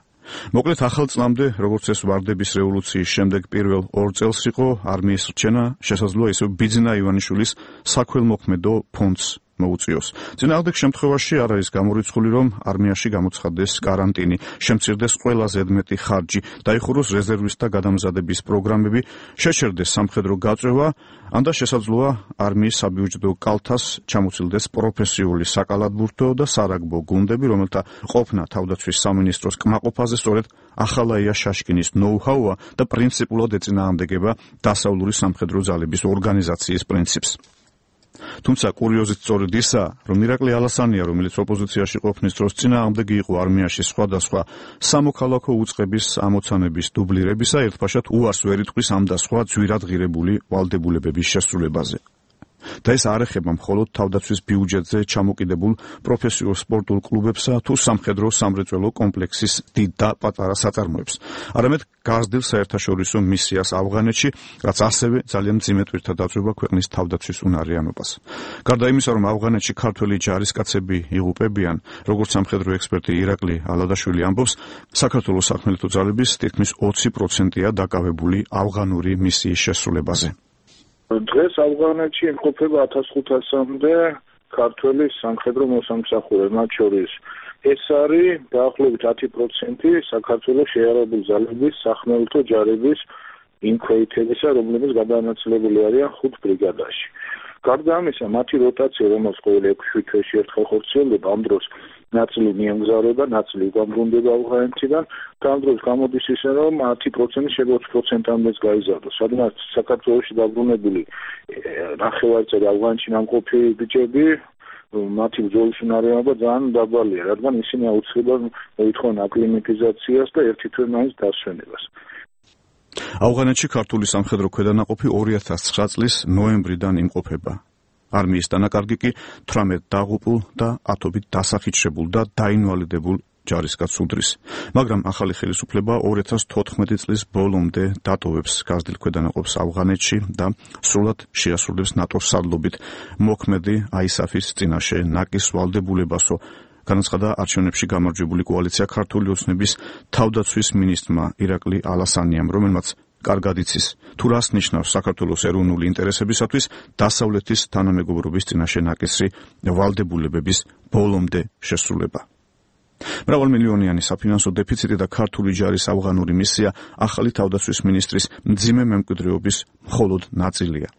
მოკლედ ახალ წლამდე, როგორც ეს ვარდების რევოლუციის შემდეგ პირველ ორ წელს იყო არმიის რჩენა, შესაძლოა ისევ ბიძინა ივანიშვილის საქველმოქმედო ფონდს მოუწიოს. წინააღმდეგ შემთხვევაში არ არის გამორიცხული, რომ არმიაში გამოცხადდეს კარანტინი, შემცირდეს ყველა ზედმეტი ხარჯი, დაიხუროს რეზერვისტთა გადამზადების პროგრამები, შეჩერდეს სამხედრო გაწევა, ან და შესაძლოა არმიის საბიუჯეტო კალთას ჩამოცილდეს პროფესიული საკალათბურთო და სარაგბო გუნდები, რომელთა ყოფნა თავდაცვის სამინისტროს კმაყოფაზე სწორედ ახალაია შაშკინის ნოუ-ჰაუა და პრინციპულად ეწინააღმდეგება დასავლური სამხედრო ძალების ორგანიზაციის პრინციპს. თუმცა კურიოზით სწორედ ისაა, რომ ირაკლი ალასანია, რომელიც ოპოზიციაში ყოფნის დროს წინააღმდეგ იყო არმიაში სხვადასხვა სამოქალაქო უწყების ამოცანების დუბლირებისა, ერთფაშად უარს ვერ იტყვის ამ და სხვა ძვირად ღირებული ვალდებულებების შესრულებაზე. და ეს არ ეხება მხოლოდ თავდაცვის ბიუჯეტზე ჩამოკიდებულ პროფესიულ სპორტულ კლუბებსა თუ სამხედრო სამრეწველო კომპლექსის დიდ და პატარა საწარმოებს, არამედ გაზრდილ საერთაშორისო მისიას ავღანეთში, რაც ასევე ძალიან მძიმე ტვირთად აწვება ქვეყნის თავდაცვის უნარიანობას. გარდა იმისა, რომ ავღანეთში ქართველი ჯარისკაცები იღუპებიან, როგორც სამხედრო ექსპერტი ირაკლი ალადაშვილი ამბობს, საქართველოს სახმელეთო ძალების თითქმის ოცი პროცენტია დაკავებული ავღანური მისიის შესრულებაზე. დღეს ავღანეთში იმყოფება ათას ხუთასამდე ქართველი სამხედრო მოსამსახურე, მათ შორის ეს არის დაახლოებით ათი პროცენტი საქართველოს შეიარაღებული ძალების სახმელეთო ჯარების იმ ქვეითებისა, რომლებიც გადანაწილებული არიან ხუთ ბრიგადაში. გარდა ამისა, მათი როტაცია, რომელიც ყოველ ექვსი თვეში ერთხელ ხორციელდება, ამ დროს ნაწილი მიემგზავრება, ნაწილი უგამბრუნდება ავღანეთიდან, და ამ დროს გამოდის ისე, რომ ათი პროცენტი შეიძლება ოცი პროცენტამდეც გაიზარდოს. სადაც საქართველოში დაბრუნებული ნახევარწერი ავღანეთში ნამყოფი ბიჭები, მათი ბრძოლის უნარიანობა ძალიან დაბალია, რადგან ისინი აუცილებლად მოითხოვენ აკლიმატიზაციას და ერთი თვე მაინც დასვენებას. ავღანეთში ქართული სამხედრო ქვედანაყოფი ორი ათას ცხრა წლის ნოემბრიდან იმყოფება. არმიის დანაკარგი კი თვრამეტ დაღუპულ და ათობით დასახიჩრებულ და დაინვალიდებულ ჯარისკაცს უდრის. მაგრამ ახალი ხელისუფლება ორი ათას თოთხმეტი წლის ბოლომდე დატოვებს გაზრდილ ქვედანაყოფს ავღანეთში და სრულად შეასრულებს ნატოს სარდლობით მოქმედი აისაფის წინაშე ნაკის ვალდებულებასო, განაცხადა არჩევნებში გამარჯვებული კოალიცია ქართული ოცნების თავდაცვის მინისტრმა ირაკლი ალასანიამ, რომელმაც კარგად იცის, თუ რას ნიშნავს საქართველოს ეროვნული ინტერესებისათვის დასავლეთის თანამეგობრობის წინაშე ნაკისრი ვალდებულებების ბოლომდე შესრულება. მრავალმილიონიანი საფინანსო დეფიციტი და ქართული ჯარის ავღანური მისია ახალი თავდაცვის მინისტრის მძიმე მემკვიდრეობის მხოლოდ ნაწილია.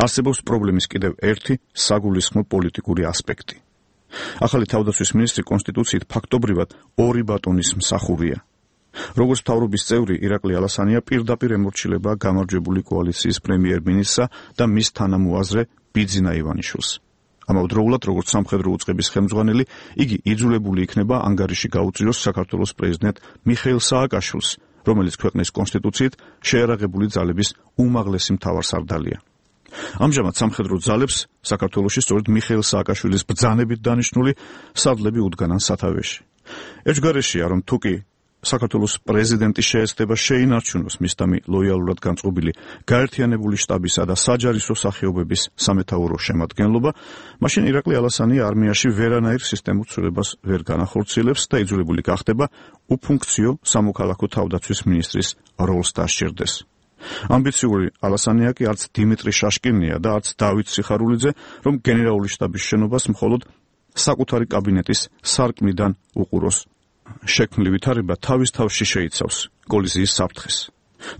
არსებობს პრობლემის კიდევ ერთი საგულისხმო პოლიტიკური ასპექტი. ახალი თავდაცვის მინისტრი კონსტიტუციით ფაქტობრივად ორი ბატონის მსახურია. როგორც მთავრობის წევრი, ირაკლი ალასანია პირდაპირ ემორჩილება გამარჯვებული კოალიციის პრემიერ-მინისტრსა და მის თანამოაზრე ბიძინა ივანიშვილს. ამავდროულად, როგორც სამხედრო უწყების ხელმძღვანელი, იგი იძულებული იქნება ანგარიში გაუწიოს საქართველოს პრეზიდენტ მიხეილ სააკაშვილს, რომელიც ქვეყნის კონსტიტუციით შეიარაღებული ძალების უმაღლესი მთავარსარდალია. ამჟამად სამხედრო ძალებს საქართველოში სწორედ მიხეილ სააკაშვილის ბრძანებით დანიშნული სარდლები უდგანან სათავეში. ერთგვარშია, რომ თუკი საქართველოს პრეზიდენტი შეეცდება შეინარჩუნოს მისდამი ლოიალურად განწყობილი გაერთიანებული შტაბისა და საჯარისო სახეობების სამეთაურო შემადგენლობა, მაშინ ირაკლი ალასანია არმიაში ვერანაირ სისტემურ ცვლილებას ვერ განახორციელებს და იძულებული გახდება უფუნქციო სამოქალაქო თავდაცვის მინისტრის როლს დასჭირდეს. ამბიციური ალასანია კი არც დიმიტრი შაშკინია და არც დავით სიხარულიძე, რომ გენერალური შტაბის შენობას მხოლოდ საკუთარი კაბინეტის სარკმლიდან უყუროს. შექმნილი ვითარება თავის თავში შეიცავს კოლიზიის საფრთხეს.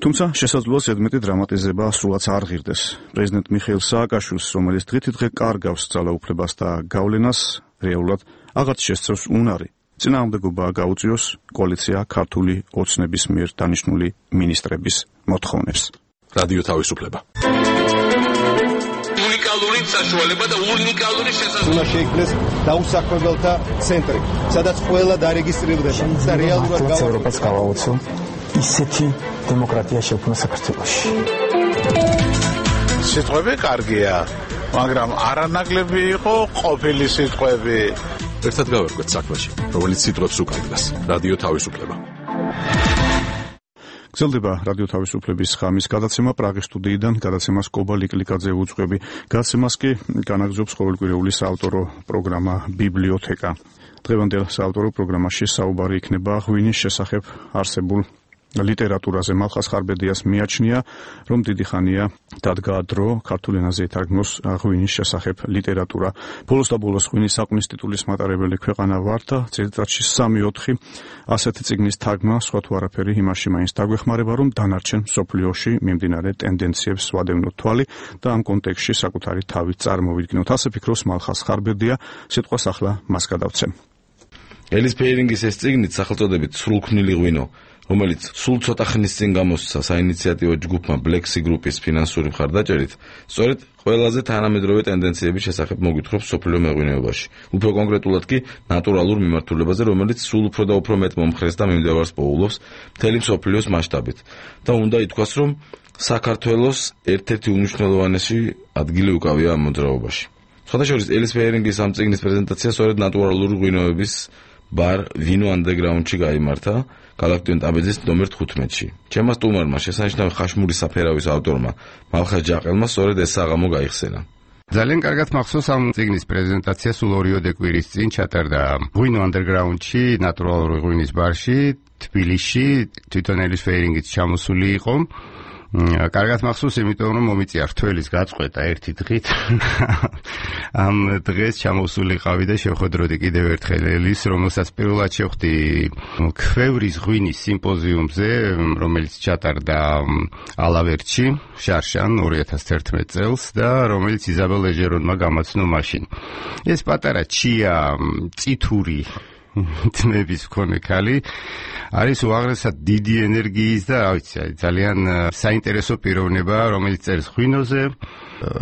თუმცა შესაძლოა ზედმეტი დრამატიზება სულაც არ ღირდეს. პრეზიდენტ მიხეილ სააკაშვილს, რომელიც დღითიდღე კარგავს ძალაუფლებას და გავლენას, რეალურად აღარც შესწევს უნარი წინააღმდეგობა გაუწიოს კოალიცია ქართული ოცნების მიერ დანიშნული მინისტრების მოთხოვნებს. რადიო თავისუფლება. უნიკალური საშუალება და უნიკალური შესაძლებლობა. უნდა შეიქმნეს დაუსაქმებელთა ცენტრი, სადაც ყველა დარეგისტრირდება და რეალურად ევროპას გავაოცო ისეთი დემოკრატია შექმნა საქართველოში. სიტყვები კარგია, მაგრამ არანაკლები იყო ყოფილი სიტყვები. ერთად გავერკვეთ საქმეში, რომელიც სიტყვებს უკარგავს. რადიო თავისუფლება. გრძელდება რადიო თავისუფლების ხამის გადაცემა პრაღის სტუდიიდან, გადაცემას კობა ლიკლიკაძე უძღვები. გადაცემას კი განაგრძობს ყოველკვირეული საავტორო პროგრამა ბიბლიოთეკა. დღევანდელ საავტორო პროგრამაში საუბარი იქნება ღვინის შესახებ არსებულ ლიტერატურაზე მალხას ხარბედიას მიაჩნია, რომ დიდი ხანია დადგა დრო ქართულ ენაზე ითარგმნოს ღვინის შესახებ ლიტერატურა. ბოლოს და ბოლოს ღვინის საკვნის ტიტულის მატარებელი ქვეყანა ვარ და წელიწადში სამი ოთხი ასეთი წიგნის თარგმნა სხვა თუ არაფერი იმაში მაინც დაგვეხმარება, რომ დანარჩენ მსოფლიოში მიმდინარე ტენდენციებს ვადევნოთ თვალი და ამ კონტექსტში საკუთარი თავით წარმოვიდგინოთ. ასე ფიქრობს მალხას ხარბედია, სიტყვას ახლა მას გადავცემ. ელის ფეირინგის ეს წიგნით სახელწოდებით სრულქმნილი ღვინო, რომელიც სულ ცოტა ხნის წინ გამოსცა საინიციატივო ჯგუფმა Black Sea Group-ის ფინანსური მხარდაჭერით, სწორედ ყველაზე თანამედროვე ტენდენციების შესახებ მოგვითხრობს სოფლიო მეღვინეობაში. უფრო კონკრეტულად კი ნატურალურ მიმართულებაზე, რომელიც სულ უფრო და უფრო მეტ მომხრეს და მიმდევარს პოულობს მთელი მსოფლიოს მასშტაბით. და უნდა ითქვას, რომ საქართველოს ერთ-ერთი უმნიშვნელოვანესი ადგილი უკავია ამ მოძრაობაში. სხვადასხვა ელის ფეირინგის ამ წიგნის პრეზენტაცია სწორედ ნატურალური ღვინოების ბარ ვინო ანდერგრაუნდში გაიმართა გალაქტიონ ტაბეძის ნომერ თხუთმეტში. ჩემმა სტუმარმა შესანიშნავი ხაშმური საფერავის ავტორმა მალხას ჯაყელმა სწორედ ეს საღამო გაიხსენა. ძალიან კარგად მახსოვს ამ წიგნის პრეზენტაცია სულ ორიოდე კვირის წინ ჩატარდა ვინო ანდერგრაუნდში, ნატურალური ღვინის ბარში, თბილისში, თვითონ ელის ფეირინგიც ჩამოსული იყო. კარგად მახსოვს, იმიტომ რომ მომიწია რთველის გაწყვეტა ერთი დღით. ამ დღეს ჩამოსულიყავი და შევხვედროდი კიდევ ერთხელ ელის, რომელსაც პირველად შევხვდი ქვევრის ღვინის სიმპოზიუმზე, რომელიც ჩატარდა ალავერტში, შარშან ორი ათას თერთმეტ წელს და რომელიც იზაბელ ეჟერონმა გამაცნო მაშინ. ეს პატარა ჩია, წითური თმების მქონე ქალი არის უაღრესად დიდი ენერგიის და რა ვიცი, ძალიან საინტერესო პიროვნება, რომელიც წერს ღვინოზე,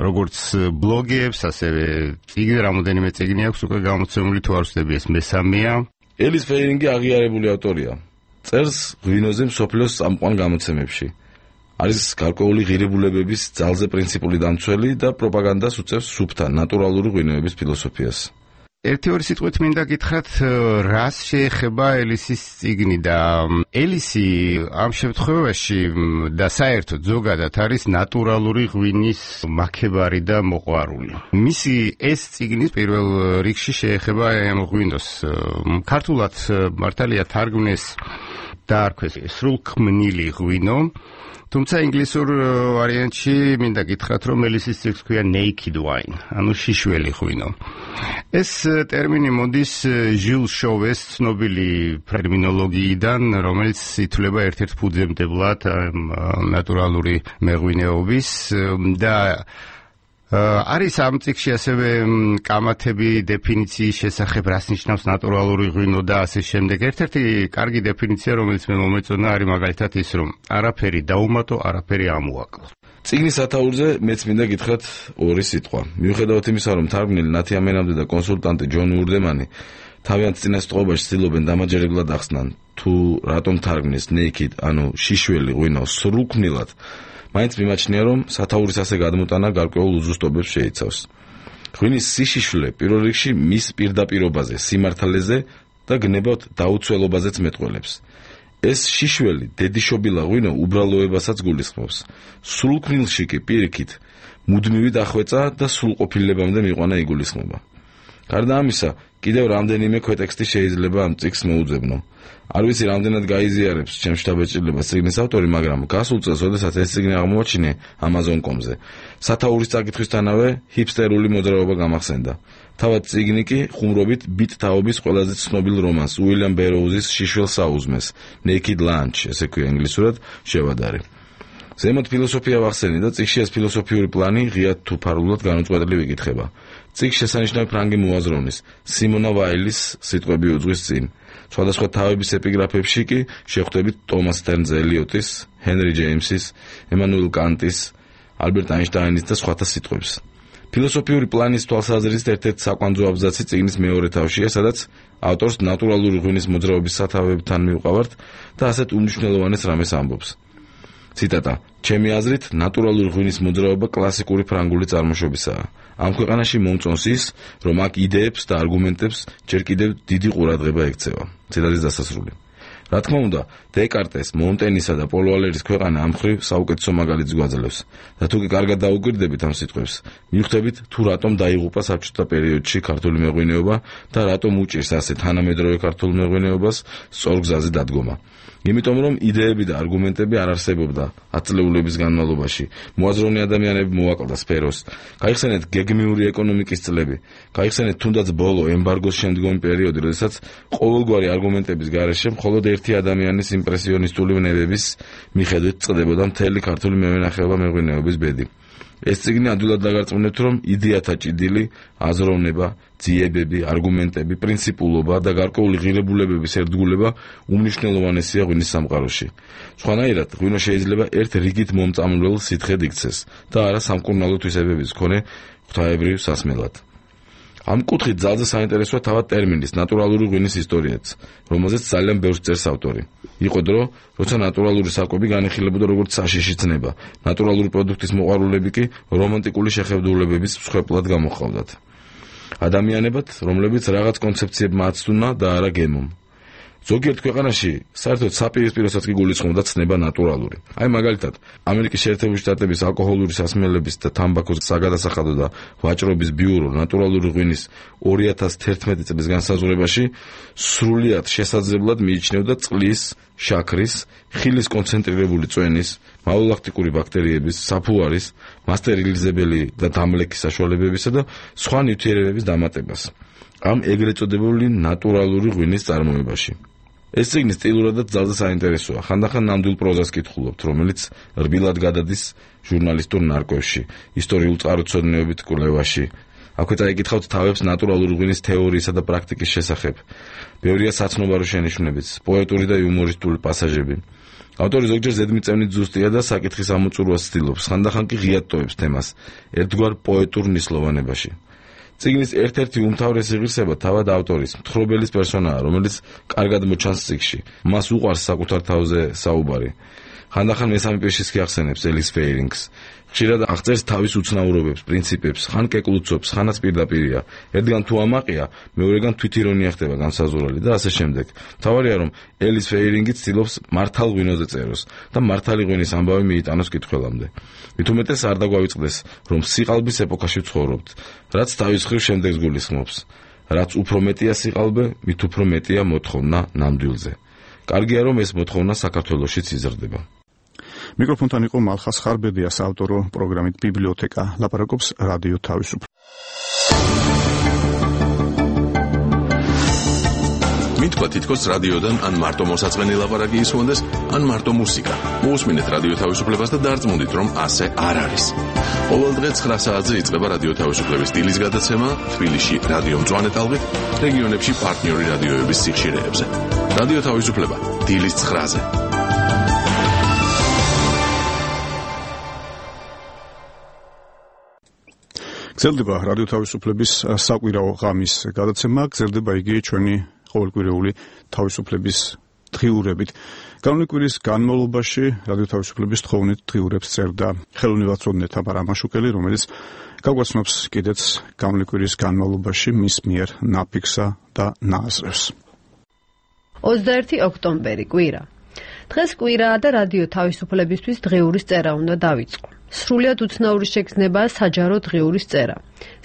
როგორც ბლოგებს, ასევე წიგნი, რამოდენიმე წიგნი აქვს უკვე გამოცემული, თუ არ ვცდები ეს მესამეა. ელის ფეირინგი აღიარებული ავტორია. წერს ღვინოზე მსოფლიოს წამყვან გამოცემებში. არის გარკვეული ღირებულებების ძალზე პრინციპული დამცველი და პროპაგანდას უწევს სუფთა ნატურალური ღვინოების ფილოსოფიას. ერთი ორი სიტყვით მინდა გითხრათ, რას შეეხება ელისის წიგნი და ელისი ამ შემთხვევაში და საერთოდ ზოგადად არის ნატურალური ღვინის მაქებარი და მოყვარული. მისი ეს წიგნი პირველ რიგში შეეხება ამ ღვინოს. ქართულად მართალია თარგმნეს დაარქვეს სრულქმნილი ღვინო, თუმცა ინგლისურ ვარიანტში მინდა გითხრათ, რომ ელისის წიგნს ქვია naked wine, ანუ შიშველი ღვინო. ეს ტერმინი მოდის ჟილ შოვეს ცნობილი ტერმინოლოგიიდან, რომელიც ითვლება ერთ-ერთ ფუძემდებლად ნატურალური მეღვინეობის და არის ამ წიგნში ასევე კამათები დეფინიციის შესახებ, რას ნიშნავს ნატურალური ღვინო და ასე შემდეგ. ერთ-ერთი კარგი დეფინიცია, რომელიც მე მომეწონა, არის მაგალითად ის, რომ არაფერი დაუმატო, არაფერი ამოაკლო. წიგნის სათაურზე მეც მინდა გითხრათ ორი სიტყვა. მიუხედავად იმისა, რომ თარგმნელი ნათია მენამდე და კონსულტანტი ჯონ ურდემანი თავიანთ წინასწრობაში ცდილობენ დამაჯერებლად ახსნან, თუ რატომ თარგმნის naked, ანუ შიშველი ღვინო სრულქმნილად, მაინც მიმაჩნია, რომ სათაურის ასე გადმოტანა გარკვეულ უზუსტობებს შეიცავს. ღვინის სიშიშვლე პირველ რიგში მის პირდაპირობაზე, სიმართლეზე და გნებავთ დაუცველობაზეც მეტყველებს. ეს შიშველი დედიშობილა ღვინო უბრალოებასაც გულისხმობს. სრულქმნილში კი პირიქით მუდმივი დახვეწა და სრულყოფილებამდე მიყვანა იგულისხმება. გარდა ამისა, კიდევ რამდენიმე ქვეტექსტი შეიძლება ამ წიგნს მოუძებნო. არ ვიცი რამდენად გაიზიარებს ჩემს შთაბეჭდილებას წიგნის ავტორი, მაგრამ გასულ წელს, როდესაც ეს წიგნი აღმოაჩინე ამაზონ კომ ზე, სათაურის წაკითხვისთანავე ჰიპსტერული მოძრაობა გამახსენდა. თავად წიგნი კი ხუმრობით ბიტ თაობის ყველაზე ცნობილ რომანს უილიამ ბეროუზის შიშველს აუზმეს, Naked Lunch, ესე ქვია ინგლისურად, შევადარი. ზემოთ ფილოსოფია ვახსენე და წიგნში ეს ფილოსოფიური პლანი ღიად თუ ფარულად განუწყვეტლივ იკითხება. წიგნს შესანიშნავი ფრანგი მოაზროვნის, სიმონა ვაილის სიტყვები უძღვის წინ. სხვადასხვა თავების ეპიგრაფებში კი შეხვდებით ტომას სტერნს ელიოტის, ჰენრი ჯეიმსის, ემანუელ კანტის, ალბერტ აინშტაინის და სხვათა სიტყვებს. ფილოსოფიური პლანის თვალსაზრისით ერთ-ერთი საკვანძო აბზაცი წიგნის მეორე თავშია, სადაც ავტორს ნატურალური ღვინის მოძრაობის სათავეებთან მიუყავართ და ასეთ უმნიშვნელოვანეს რამეს ამბობს. ციტატა: ჩემი აზრით, ნატურალური ღვინის მოძრაობა კლასიკური ფრანგული წარმოშობისაა. ამ ქვეყანაში მომწონს ის, რომ აქ იდეებს და არგუმენტებს ჯერ კიდევ დიდი ყურადღება ექცევა. ციტატის დასასრული. რა თქმა უნდა, დეკარტეს, მონტენისა და პოლო ალერის ქვეყანა ამ მხრივ საუკეთესო მაგალითს გვაძლევს. და თუ კი კარგად დაუკვირდებით ამ სიტყვებს, მივხვდებით თუ რატომ დაიღუპა საბჭოთა პერიოდში ქართული მეღვინეობა და რატომ უჭირს ასე თანამედროვე ქართულ მეღვინეობას სწორ გზაზე დადგომა. იმიტომ რომ იდეები და არგუმენტები არ არსებობდა ათწლეულების განმავლობაში. მოაზროვნე ადამიანები მოაკლდა სფეროს. გაიხსენეთ გეგმიური ეკონომიკის წლები. გაიხსენეთ თუნდაც ბოლო ემბარგოს შემდგომი პერიოდი, როდესაც ყოველგვარი არგუმენტების გარეშე მხოლოდ ერთი ადამიანის იმპრესიონისტული ვნებების მიხედვით წყდებოდა მთელი ქართული მევენახეობა მეღვინეობის ბედი. ეს წიგნი ადვილად დაგარწმუნებთ, რომ იდეათა ჭიდილი, აზროვნება, ძიებები, არგუმენტები, პრინციპულობა და გარკვეული ღირებულებების ერთგულება უმნიშვნელოვანესია ღვინის სამყაროში. სხვანაირად, ღვინო შეიძლება ერთ რიგით მომწამლულ სითხედ იქცეს და არა სამკურნალო თვისებების მქონე ღვთაებრივ სასმელად. ამ კუთხით ძალზე საინტერესოა თავად ტერმინის ნატურალური ღვინის ისტორიაც, რომელზეც ძალიან ბევრს წერს ავტორი. იყო დრო, როცა ნატურალური საკვები განიხილებოდა როგორც საშიში ცნება, ნატურალური პროდუქტის მოყვარულები კი რომანტიკული შეხედულებების მსხვერპლად გამოჰყავდათ. ადამიანებად, რომლებიც რაღაც კონცეფციებმა აცდუნა და არა გემომ. ზოგიერთ ქვეყანაში საერთოდ საპირისპიროსაც კი გულისხმობდა ცნება ნატურალური. აი მაგალითად, ამერიკის შეერთებული შტატების ალკოჰოლური სასმელების და თამბაქოს საგადასახადო და ვაჭრობის ბიურო ნატურალური ღვინის ორი ათას თერთმეტი წლის განსაზღვრებაში სრულიად შესაძლებლად მიიჩნევდა წყლის, შაქრის, ხილის კონცენტრირებული წვენის, მალოლაქტიკური ბაქტერიების, საფუარის, მასტერილიზებელი და დამლექის საშუალებებისა და სხვა ნივთიერებების დამატებას. ამ ეგრეთ წოდებული ნატურალური ღვინის წარმოებაში. ეს წიგნი სტილურადაც ძალზე საინტერესოა. ხანდახან ნამდვილ პროზას კითხულობთ, რომელიც რბილად გადადის ჟურნალისტურ ნარკვევში, ისტორიულ წყაროწოდნეობით კვლევაში. აქვე წაიკითხავთ თავებს ნატურალური ღვინის თეორიისა და პრაქტიკის შესახებ. ბევრია საცნობარო შენიშვნებიც, პოეტური და იუმორისტული პასაჟები. ავტორი ზოგჯერ ზედმიწევნით ზუსტია და საკითხის ამოწურვას ცდილობს, ხანდახან კი ღიად ტოვებს თემას, ერთგვარ პოეტურ ნისლოვანებაში. წიგნის ერთ-ერთი უმთავრესი ღირსება თავად ავტორის, მთხრობელის პერსონაა, რომელიც კარგად მოჩანს წიგნში. მას უყვარს საკუთარ თავზე საუბარი. ხანდახან მესამე პირშიც კი ახსენებს ელის ფეირინგს. ხშირად აღწერს თავის უცნაურობებს, პრინციპებს, ხან კეკლუცობს, ხანაც პირდაპირია. ერთგან თუ ამაყია, მეორეგან თვითირონია ხდება განსაზღვრელი და ასე შემდეგ. მთავარია, რომ ელის ფეირინგი ცდილობს მართალ ღვინოზე წეროს და მართალი ღვინის ამბავი მიიტანოს კითხველამდე. მით უმეტეს არ დაგვავიწყდეს, რომ სიყალბის ეპოქაში ვცხოვრობთ, რაც თავის მხრივ შემდეგს გულისხმობს. რაც უფრო მეტია სიყალბე, მით უფრო მეტია მოთხოვნა ნამდვილზე. კარგია, რომ ეს მოთხოვნა საქართველოშიც იზრდება. მიკროფონთან იყო მალხას ხარბედია, საავტორო პროგრამით ბიბლიოთეკა. ლაპარაკობს რადიო თავისუფლება. მითქვა თითქოს რადიოდან ან მარტო მოსაწყენი ლაპარაკი ისმონდეს, ან მარტო მუსიკა. მოусმინეთ რადიო თავისუფლებას და დარწმუნდით, რომ ასე არ არის. ყოველ დღე ცხრა საათზე იწყება რადიო თავისუფლების სტილის გადაცემა თბილისში რადიო მწვანე ტალღით, რეგიონებში პარტნიორი რადიოების სიხშირეებზე. რადიო თავისუფლება დილის ცხრაზე. გრძელდება რადიო თავისუფლების საკვირაო ღამის გადაცემა, გრძელდება იგი ჩვენი ყოველკვირეული თავისუფლების დღიურებით. განვლილი კვირის განმავლობაში რადიო თავისუფლების თხოვნით დღიურებს წერდა ხელოვნებაცოდნე თამარ ამაშუკელი, რომელიც გაგვაცნობს კიდეც განვლილი კვირის განმავლობაში მის მიერ ნაფიქსა და ნააზრევს. ოცდაერთი ოქტომბერი კვირა. დღეს კვირაა და რადიო თავისუფლებისთვის დღიურის წერა უნდა დავიწყო. სრულიად უცნაური შეგრძნებაა საჯარო დღიურის წერა.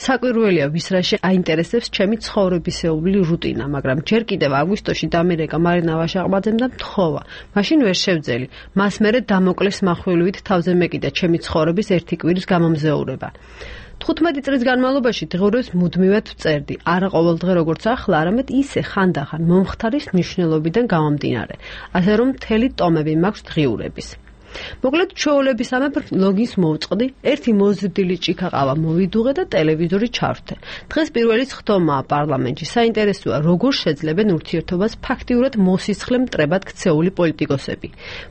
საკვირველია ვის რაში აინტერესებს ჩემი ცხოვრებისეული რუტინა, მაგრამ ჯერ კიდევ აგვისტოში დამირეკა მარინა ვაშაყბაძემ და მთხოვა. მაშინ ვერ შევძელი. მას მერე დამოკლეს מחვილივით თავზე მეკიდა ჩემი ცხოვრების ერთი კვირის გამომზეურება. თხუთმეტი წლის განმავლობაში დღიურებს მუდმივად ვწერდი, არა ყოველდღე როგორც ახლა, არამედ ისე ხანდახან მომხდარის მნიშვნელობიდან გამომდინარე, ასე რომ მთელი ტომები მაქვს დღიურების. მოკლედ ჩვეულებისამებრ ლოგინს მოვწყდი, ერთი მოზრდილი ჭიქაყავა მოვიდუღე და ტელევიზორი ჩავრთე. დღეს პირველი ხდომაა პარლამენტში. საინტერესოა, როგორ შეძლებენ ურთიერთობას ფაქტიურად მოსისხლე მტრებად ქცეული პოლიტიკოსები.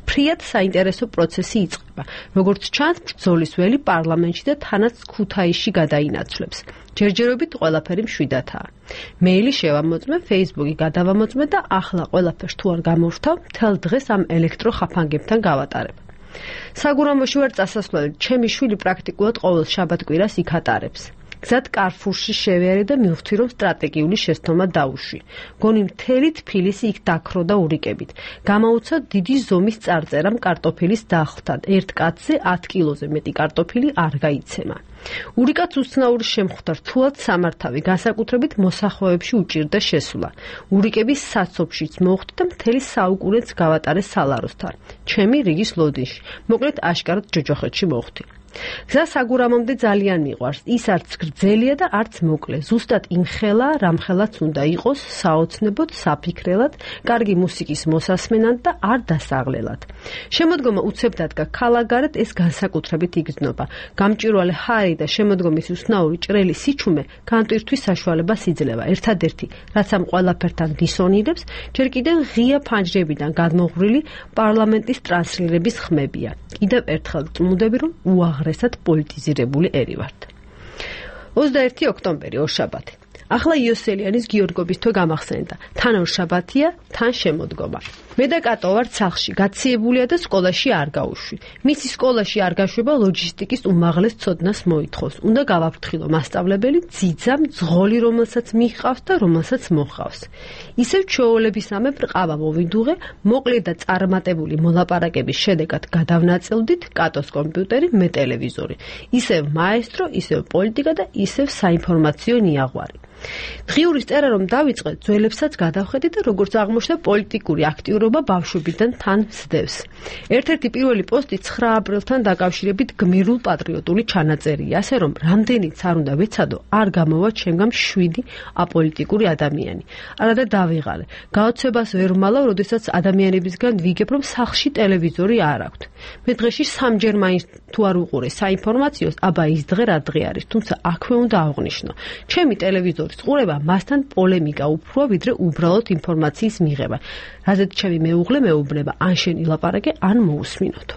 ფრიად საინტერესო პროცესი იწყება. როგორც ჩანს, ბრძოლის ველი პარლამენტში და თანაც ქუთაისში გადაინაცვლებს. ჯერჯერობით ყველაფერი მშვიდათაა. მეილი შევამოწმე, ფეისბუქი გადავამოწმე და ახლა ყველაფერს თუ არ გამორთავ, მთელ დღეს ამ ელექტროხაფანგებთან გავატარებ. საგურამოში ვარ წასასვლელი, ჩემი შვილი პრაქტიკულად ყოველ შაბათ-კვირას იქ ატარებს. გზად კარფურში შევიარე და მივხვდი, რომ სტრატეგიული შეცდომა დაუშვი. გონი მთელი თბილისი იქ დაქრო და ურიკებით. გამაუცა დიდი ზომის წარწერამ კარტოფილის დახლთან. ერთ კაცზე ათ კილოზე მეტი კარტოფილი არ გაიცემა. ურიკაც უცნაური შემხვდა, რთულად სამართავი, განსაკუთრებით მოსახვეებში უჭირდა შესვლა. ურიკების საცობშიც მოხვდი და მთელი საუკუნეც გავატარე სალაროსთან. ჩემი რიგის ლოდინში. მოკლედ აშკარად ჯოჯოხეთში მოხვდი. გზა საგურამომდე ძალიან მიყვარს. ის არც გრძელია და არც მოკლე. ზუსტად იმხელა, რამხელაც უნდა იყოს, საოცნებოდ, საფიქრელად, კარგი მუსიკის მოსასმენად და არ დასაღლელად. შემოდგომა უცებ დადგა ქალაგარეთ, ეს განსაკუთრებით იგრძნობა. გამჭვირვალე ჰარი და შემოდგომის უცნაური ჭრელი სიჩუმე განტვირთვის საშუალებას იძლევა. ერთადერთი, რაც ამ ყველაფერთან დისონირებს, ჯერ კიდევ ღია ფანჯრებიდან გადმოღვრილი პარლამენტის ტრანსლირების ხმებია. კიდევ ერთხელ წმუდები, რომ უაღრესად პოლიტიზირებული ერი ვართ. ოცდაერთი ოქტომბერი ორშაბათი. ახლა იოსელიანის გიორგობის თვე გამახსენდა. თან ორშაბათია, თან შემოდგომა. მე და კატო ვართ სახლში, გაციებულია და სკოლაში არ გავუშვი. მისი სკოლაში არ გაშვება ლოჯისტიკის უმაღლეს ცოდნას მოითხოვს. უნდა გავაფრთხილო მასწავლებელი, ძიძა, მძღოლი, რომელსაც მიჰყავს და რომელსაც მოჰყავს. ისევ ჩვეულებისამებრ ყავა მოვიდუღე, მოკლე და წარმატებული მოლაპარაკების შედეგად გადავნაწილდით კატოს კომპიუტერი, მე ტელევიზორი. ისევ მაესტრო, ისევ პოლიტიკა და ისევ საინფორმაციო ნიაღვარი. დღიურის წერა რომ დავიწყე, ძველებსაც გადავხედე და როგორც აღმოჩნდა, პოლიტიკური აქტიურობა ბავშვობიდან თან მსდევს. ერთ-ერთი პირველი პოსტი ცხრა აპრილთან დაკავშირებით გმირულ პატრიოტული ჩანაწერია, ასე რომ რამდენიც არ უნდა ვეცადო, არ გამოვა ჩემგან შვიდი აპოლიტიკური ადამიანი. არადა დავიღალე. გაოცებას ვერ ვმალავ, როდესაც ადამიანებისგან ვიგებ, რომ სახლში ტელევიზორი არ აქვთ. მე დღეში სამჯერ მაინც თუ არ უყურე საინფორმაციოს, აბა ის დღე რა დღე არის, თუმცა აქვე უნდა აღვნიშნო. ჩემი ტელევიზორი ყურება მასთან პოლემიკა უფროა, ვიდრე უბრალოდ ინფორმაციის მიღება. რაზეც ჩემი მეუღლე მეუბნება, ან შენ ილაპარაკე, ან მოусმინოთ.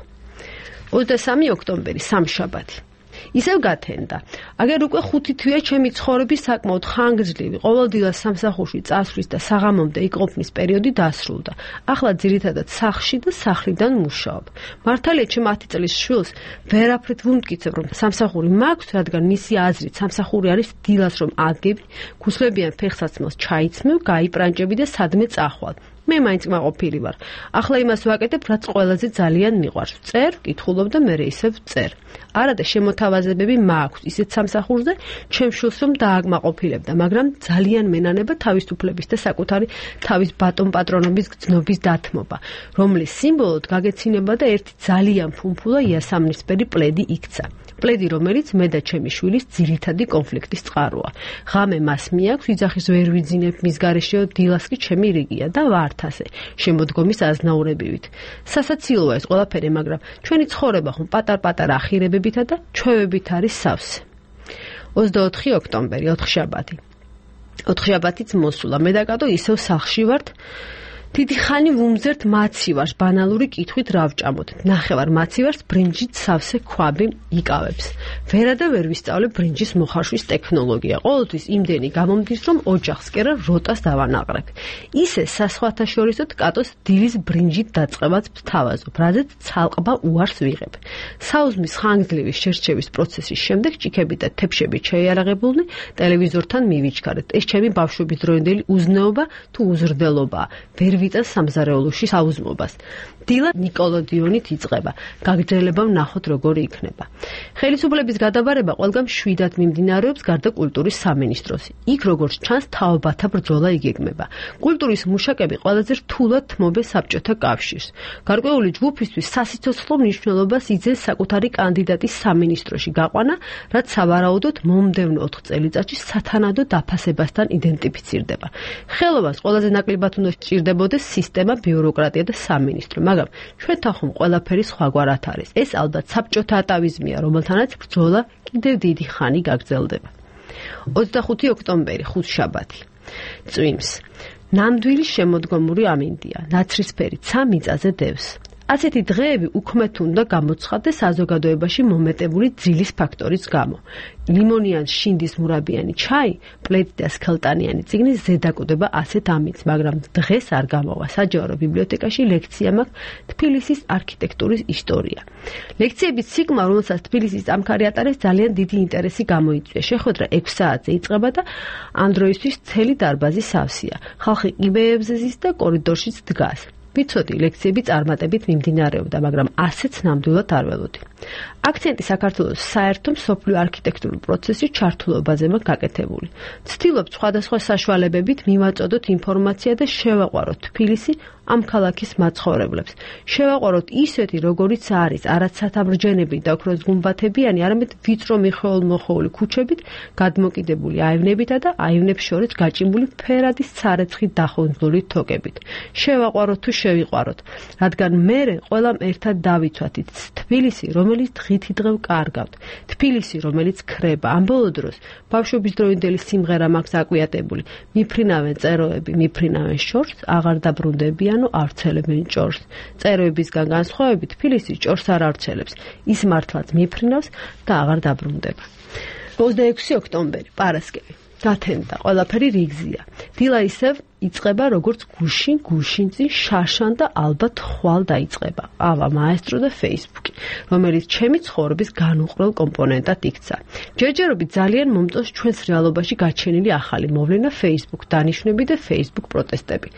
ოცდასამი ოქტომბერი, სამშაბათი. ისევ გათენდა. აგერ უკვე ხუთი თვეა ჩემი ცხოვრების საკმაოდ ხანგრძლივი, ყოველდღიურად სამსახურში წასვლის და საღამომდე იყოფნის პერიოდი დასრულდა. ახლა ძირითადად სახლში და სახლიდან მუშაობ. მართალია, ჩემ ათი წლის შვილს ვერაფრით ვუმტკიცებ, რომ სამსახური მაქვს, რადგან მისი აზრით სამსახური არის დილას რომ ადგები, გუსლებიან ფეხსაცმელს ჩაიცმევ, გაიპრანჭები და სადმე წახვალ. მე მაინც მაყოფილი ვარ. ახლა იმას ვაკეთებ, რაც ყველაზე ძალიან მიყვარს. წერ, ვკითხულობ და მე ისევ წერ. არადა შემოთავაზებები მაქვს ისეთ სამსახურზე, ჩემ შვილს რომ დააგმაყოფილებდა, მაგრამ ძალიან მენანება თავისუფლების და საკუთარი თავის ბატონ პატრონობის გრძნობის დათმობა, რომლის სიმბოლოდ გაგეცინება და ერთი ძალიან ფუმფულა იასამნისფერი პლედი იქცა. პლედი, რომელიც მე და ჩემი შვილის ძირითადი კონფლიქტის წყაროა. ღამე მას მიაქვს, ვიძახის ვერ ვიძინებ, მის გარეშეო დილას კი ჩემი რიგია და ვართ ასე, შემოდგომის აზნაურებივით. სასაცილოა ეს ყველაფერი, მაგრამ ჩვენი ცხოვრება ხომ პატარ-პატარა ახირებებითა და ჩვევებით არის სავსე. ოცდაოთხი ოქტომბერი, ოთხშაბათი. ოთხშაბათიც მოსულა, მე და კატო ისევ სახლში ვართ. დიდი ხანი ვუმზერთ მაცივარს, ბანალური კითხვით რა ვჭამოთ. ნახევარ მაცივარს ბრინჯით სავსე ქვაბი იკავებს. ვერა და ვერ ვისწავლებ ბრინჯის მოხარშვის ტექნოლოგია. ყოველთვის იმდენი გამომდის, რომ ოჯახს კერა როტას დავანაყრებ. ისე სასხვათა შორისოთ კატოს დილის ბრინჯით დაწყებაც ვთავაზობ, რაზეც ცალყბა უარს ვიღებ. საუზმის ხანგრძლივი შერჩევის პროცესის შემდეგ ჭიქები და თეფშები შეიარაღებულნი ტელევიზორთან მივიჩქარეთ. ეს ჩემი ბავშვობის დროინდელი უზნეობა თუ უზრდელობაა. ვერ ვიტან სამზარეულოში საუზმობას. დილა ნიკოლოდიონით იწყება. გაგრძელება ვნახოთ როგორი იქნება. ხელისუფლების გადაბარება ყველგან შვიდად მიმდინარეობს გარდა კულტურის სამინისტროს. იქ როგორც ჩანს თაობათა ბრძოლა იგეგმება. კულტურის მუშაკები ყველაზე რთულად თმობენ საბჭოთა კავშირს. გარკვეული ჯგუფისთვის სასიცოცხლო მნიშვნელობას იძენს საკუთარი კანდიდატის სამინისტროში გაყვანა, რაც სავარაუდოდ მომდევნო ოთხ წელიწადში სათანადო დაფასებასთან იდენტიფიცირდება. ხელობას ყველაზე ნაკლებად უნდა სჭირდებოდეს სისტემა, ბიუროკრატია და სამინისტრო, მაგრამ ჩვენთან ხომ ყველაფერი სხვაგვარად არის. ეს ალბათ საბჭოთა ატავიზმია, რომელთანაც ბრძოლა კიდევ დიდი ხანი გაგრძელდება. ოცდახუთი ოქტომბერი, ხუთშაბათი. წვიმს. ნამდვილი შემოდგომური ამინდია, ნაცრისფერი ცა მიწაზე დევს. ასეთი დღეები უქმეთ უნდა გამოცხადდეს საზოგადოებაში მომეტებული ძილის ფაქტორის გამო. ლიმონიან შინდის მურაბიანი ჩაი, პლედი და სქელტანიანი წიგნის ზედაკუდება ასეთ ამits, მაგრამ დღეს არ გამოვა. საჯარო ბიბლიოთეკაში ლექცია მაქვს თბილისის არქიტექტურის ისტორია. ლექციების ციკლმა, რომელსაც თბილისის წამქარი ატარებს, ძალიან დიდი ინტერესი გამოიწვია. შეხვედრა ექვს საათზე იწყება და ამ დროისთვის მთელი დარბაზი სავსეა. ხალხი კიბეებზე ზის და კორიდორშიც დგას. ვიცოდი, ლექციები წარმატებით მიმდინარეობდა, მაგრამ ასეც ნამდვილად არ ველოდი. აქცენტი საქართველოს საერთო მსოფლიო არქიტექტურულ პროცესში ჩართულობაზე მაქვს გაკეთებული. ვცდილობ სხვადასხვა საშუალებებით მივაწოდოთ ინფორმაცია და შევაყვაროთ თბილისი ამ ქალაქის მაცხოვრებლებს. შევაყვაროთ ისეთი, როგორიც არის, არაც სათამრჯენები და ოქროს გუმბათებიანი, არამედ ვიწრო მიხეულ-მოხეული ქუჩებით, გადმოკიდებული აივნებითა და აივნებს შორის გაჭიმული ფერადის ცარეცხით დახუნძლული თოკებით. შევაყვაროთ თუ შევიყვაროთ, რადგან მერე ყველამ ერთად დავიცვათ თბილისი, რომელიც დღითი დღე ვკარგავთ, თბილისი, რომელიც ქრება. ამ ბოლო დროს ბავშვობის დროინდელი სიმღერა მაქვს აკვიატებული. მიფრინავენ წეროები, მიფრინავენ შორს, აღარ დაბრუნდებიანო ავრცელებენ ჭორს. წეროებისგან განსხვავებით თბილისი ჭორს არ ავრცელებს. ის მართლაც მიფრინავს და აღარ დაბრუნდება. ოცდაექვსი ოქტომბერი, პარასკევი. გათენდა, ყველაფერი რიგზია. დილა ისევ იწყება როგორც გუშინ, გუშინწინ, შარშან და ალბათ ხვალ დაიწყება. ავა მაესტრო და Facebook, რომელიც ჩემი ცხოვრების განუყრელ კომპონენტად იქცა. ჯერჯერობით ძალიან მომწონს ჩვენს რეალობაში გაჩენილი ახალი მოვლენა Facebook დანიშვნები და Facebook პროტესტები.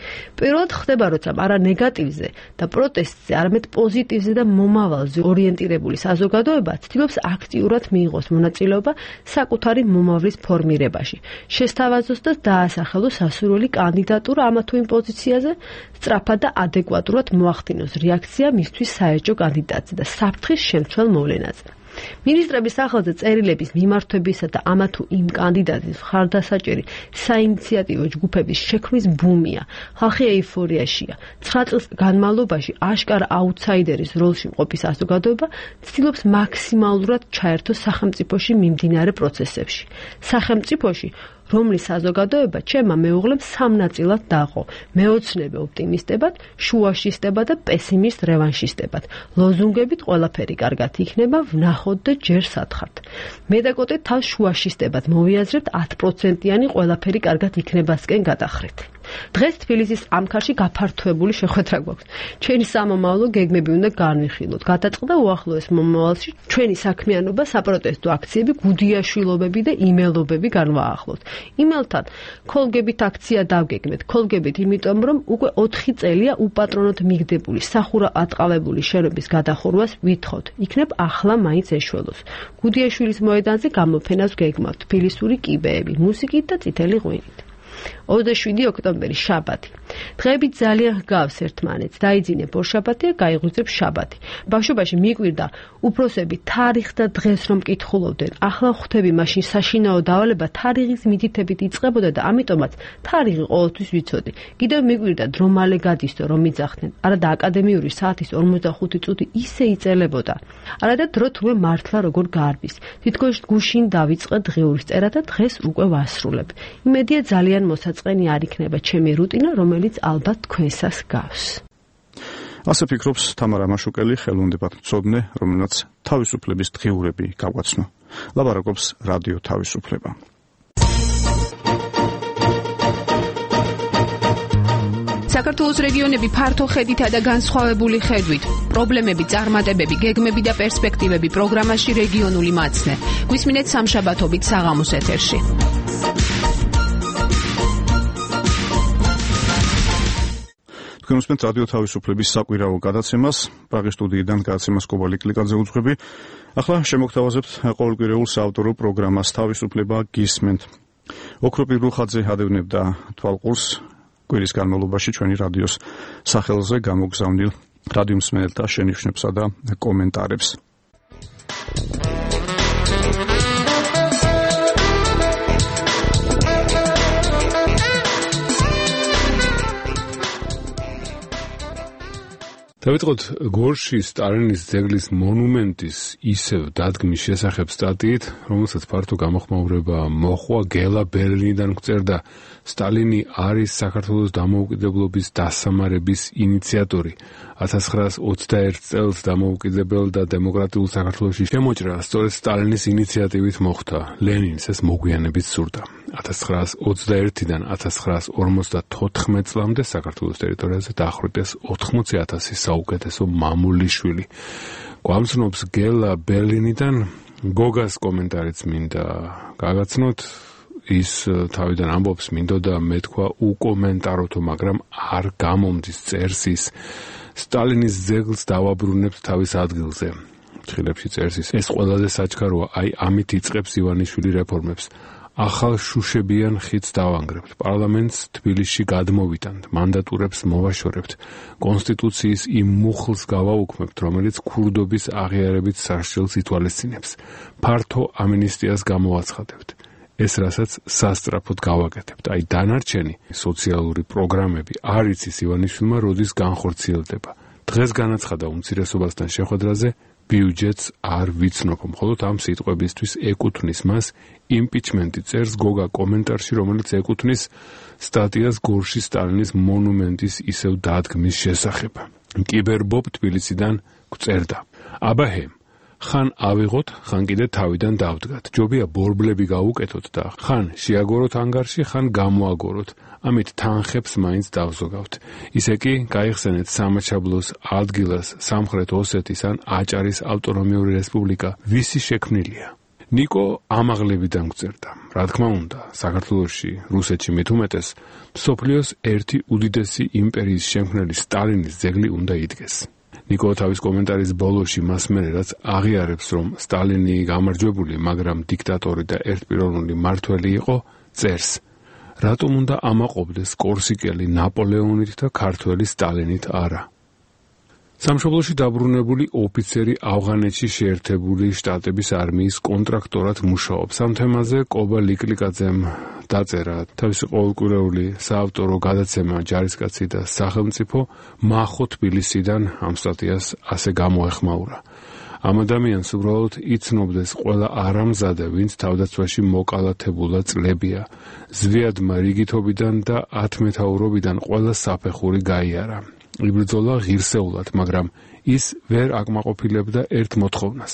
პირველად ხდება, როცა არა ნეგატივზე და პროტესტზე, არამედ პოზიტივზე და მომავალზე ორიენტირებული საზოგადოება ცდილობს აქტიურად მიიღოს მონაწილეობა საკუთარი მომავლის ფორმირებაში. შესთავაზოს და დაასახელოს სასურველი კანდიდატურა ამა თუ იმ პოზიციაზე, სწრაფად და ადეკვატურად მოახდინოს რეაქცია მისთვის საერთო კანდიდატზე და საფრთხის შემცველ მოვლენაზე. მინისტრების სახელზე წერილების მიმართვებისა და ამა თუ იმ კანდიდატის მხარდასაჭერი საინიციატივო ჯგუფების შექმნის ბუმია. ხალხი ეიფორიაშია. ცხრა წლის განმავლობაში აშკარა აუთსაიდერის როლში მყოფი საზოგადოება ცდილობს მაქსიმალურად ჩაერთოს სახელმწიფოში მიმდინარე პროცესებში. სახელმწიფოში რომლის საზოგადოება ჩემმა მეუღლემ სამ ნაწილად დაყო: მეოცნებე ოპტიმისტებად, შუაშისტებად და პესიმისტ რევანშისტებად. ლოზუნგებით ყველაფერი კარგად იქნება, ვნახოთ და ჯერ სათხართ. მე და კოტე თავს შუაშისტებად მოვიაზრებთ ათი პროცენტიანი ყველაფერი კარგად იქნებასკენ გადახრით. დღეს თბილისის ამქარში გაფართოებული შეხვედრა გვაქვს. ჩვენი სამომავლო გეგმები უნდა განვიხილოთ. გადაწყდა უახლოეს მომავალში ჩვენი საქმიანობა, საპროტესტო აქციები, გუდიაშვილობები და იმელობები განვაახლოთ. იმელთან ქოლგებით აქცია დავგეგმეთ. ქოლგებით, იმიტომ რომ უკვე ოთხი წელია უპატრონოდ მიგდებული სახურა ატყავებული შენობის გადახურვას ვითხოვთ. იქნებ ახლა მაინც ეშველოს. გუდიაშვილის მოედანზე გამოფენას გეგმავთ. თბილისური კიბეები, მუსიკით და წითელი ღვინით. ოცდაშვიდი ოქტომბერი, შაბათი. დღეები ძალიან ჰგავს ერთმანეთს. დაიძინე ბორშაბათი და გაიღვიძებ შაბათი. ბავშვობაში მიკვირდა უფროსები თარიღს და დღეს რომ კითხულობდნენ. ახლა ხვდები, მაშინ საშინაო დავალება თარიღის მითითებით იწყებოდა და ამიტომაც თარიღი ყოველთვის ვიცოდი. კიდევ მიკვირდა დრო მალე გადისდო რომ მიძახდნენ. არა და აკადემიური საათის ორმოცდახუთი წუთი ისე იწელებოდა. არა და დრო თუმე მართლა როგორ გაარბის. თითქოს გუშინ დავიწყე დღეურის წერა და დღეს უკვე ვასრულებ. იმედია ძალიან მოსაწყენი არ იქნება ჩემი რუტინა, რომელიც ალბათ თქვენსას გავს. ასე ფიქრობს თამარა მაშუკელი, ხელოვნებად მცოდნე, რომელსაც თავისუფლების დღიურები გაგვაცნო. ლაპარაკობს რადიო თავისუფლება. საქართველოს რეგიონები ფართო ხედითა და განსხვავებული ხედვით, პრობლემები, წარმატებები, გეგმები და პერსპექტივები პროგრამაში რეგიონული მაცნე. გვისმინეთ სამშაბათობით საღამოს ეთერში. თქვენ უსმენთ რადიო თავისუფლების საკვირაო გადაცემას, პრაღის სტუდიიდან გადაცემას კობალი კლიკაძე უძღვები. ახლა შემოგთავაზებთ ყოველკვირეულ საავტორო პროგრამას თავისუფლება გისმენთ. ოქროპირ რუხაძე ადევნებდა თვალყურს კვირის განმავლობაში ჩვენი რადიოს სახელზე გამოგზავნილ რადიო მსმენელთა შენიშვნებსა და კომენტარებს. დავიწყოთ გორში სტალინის ძეგლის მონუმენტის ისევ დადგმის შესახებ სტატიით, რომელსაც ფართო გამოხმაურება მოჰყვა. გელა ბერლინიდან გვწერდა, სტალინი არის საქართველოს დამოუკიდებლობის დასამარების ინიციატორი. ათას ცხრაას ოცდაერთ წელს დამოუკიდებელ და დემოკრატიულ საქართველოში შემოჭრა სწორედ სტალინის ინიციატივით მოხდა. ლენინს ეს მოგვიანებით სურდა. ათას ცხრაას ოცდაერთიდან ათას ცხრაას ორმოცდათოთხმეტ წლამდე საქართველოს ტერიტორიაზე დაახვრიტეს ოთხმოცი ათასი საუკეთესო მამულიშვილი. გვამცნობს გელა ბერლინიდან. გოგას კომენტარიც მინდა გაგაცნოთ. ის თავიდან ამბობს, მინდოდა მეთქვა უკომენტაროთო, მაგრამ არ გამომდის, წერს ის. სტალინის ძეგლს დავაბრუნებთ თავის ადგილზე. ხილებში წერს ის. ეს ყველაზე საჩქაროა, აი ამით იწყებს ივანიშვილი რეფორმებს. ახალ შუშებიან ხიდს დავანგრებთ, პარლამენტს თბილისში გადმოვიტანთ, მანდატურებს მოვაშორებთ, კონსტიტუციის იმ მუხლს გავაუქმებთ, რომელიც ქურდობის აღიარებით სარჩელს ითვალისწინებს, ფართო ამინისტიას გამოვაცხადებთ. ეს რასაც სასწრაფოდ გავაკეთებთ. აი დანარჩენი სოციალური პროგრამები არ იცის ივანიშვილმა როდის განხორციელდება. დღეს განაცხადა უმცირესობასთან შეხვედრაზე, ბიუჯეტს არ ვიცნობ, მხოლოდ ამ სიტყვებისთვის ეკუთვნის მას იმპიჩმენტი, წერს გოგა კომენტარში, რომელიც ეკუთვნის სტატიას გორში სტალინის მონუმენტის ისევ დადგმის შესახებ. კიბერბობ თბილისიდან გვწერდა, აბაჰე ხან ავიღოთ, ხან კიდე თავიდან დავდგათ. ჯობია ბორბლები გავუკეთოთ და ხან შეაგოროთ ანგარში, ხან გამოაგოროთ. ამით თანხებს მაინც დავზოგავთ. ისე კი გაიხსენეთ სამაჩაბლოს ადგილას სამხრეთ ოსეთის ან აჭარის ავტონომიური რესპუბლიკა ვისი შექმნილია. ნიკო ამაღლებიდან გვწერდა. რა თქმა უნდა, საქართველოში, რუსეთში მით უმეტეს, მსოფლიოს ერთი უდიდესი იმპერიის შემქმნელი სტალინის ძეგლი უნდა იდგეს. ნიკო თავის კომენტარის ბოლოში მასმენე რაც აღიარებს, რომ სტალინი გამარჯვებული, მაგრამ დიქტატორი და ერთპიროვნული მმართველი იყო, წერს. რატომ უნდა ამაყობდეს კორსიკელი ნაპოლეონით და ქართველი სტალინით არა? სამშობლოში დაბრუნებული ოფიცერი ავღანეთში შეერთებული შტატების არმიის კონტრაქტორად მუშაობს. ამ თემაზე კობა ლიკლიკაძემ დაწერა თავისი ყოველკვირეული საავტორო გადაცემა ჯარისკაცი და სახელმწიფო მახო თბილისიდან ამ სტატიას ასე გამოეხმაურა. ამ ადამიანს უბრალოდ იცნობდეს ყველა არამზადე, ვინც თავდაცვაში მოკალათებულა წლებია. ზვიადმა რიგითობიდან და ათმეთაურობიდან ყველა საფეხური გაიარა. იბრძოლა ღირსეულად, მაგრამ ის ვერ აკმაყოფილებდა ერთ მოთხოვნას.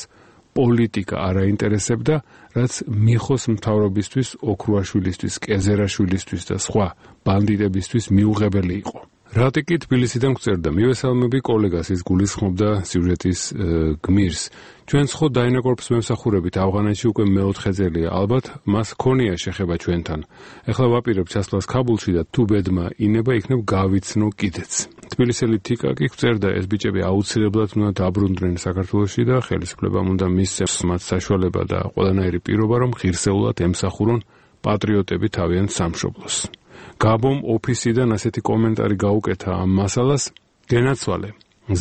პოლიტიკა არ აინტერესებდა, რაც მიხოს მთავრობისთვის, ოქრუაშვილისთვის, კეზერაშვილისთვის და სხვა ბანდიტებისთვის მიუღებელი იყო. რატიკი თბილისიდან გვწერდა, მივესალმები კოლეგას, ის გულისხმობდა სიუჟეტის გმირს. ჩვენ ხო დაინაკორფს მემსახურებით ავღანეთში უკვე მეოთხე წელია, ალბათ მას ქონია შეხება ჩვენთან. ეხლა ვაპირებ ჩასვლას ქაბულში და თუ ბედმა ინება, იქნებ გავიცნო კიდეც. თბილისელი თიკა კი გვწერდა, ეს ბიჭები აუცილებლად უნდა დაბრუნდნენ საქართველოში და ხელისუფლებამ უნდა მისცეს მათ საშუალება და ყველანაირი პირობა, რომ ღირსეულად ემსახურონ პატრიოტები თავიანთ სამშობლოს. გაბომ ოფისიდან ასეთი კომენტარი გაუკეთა ამ მასალას, გენაცვალე.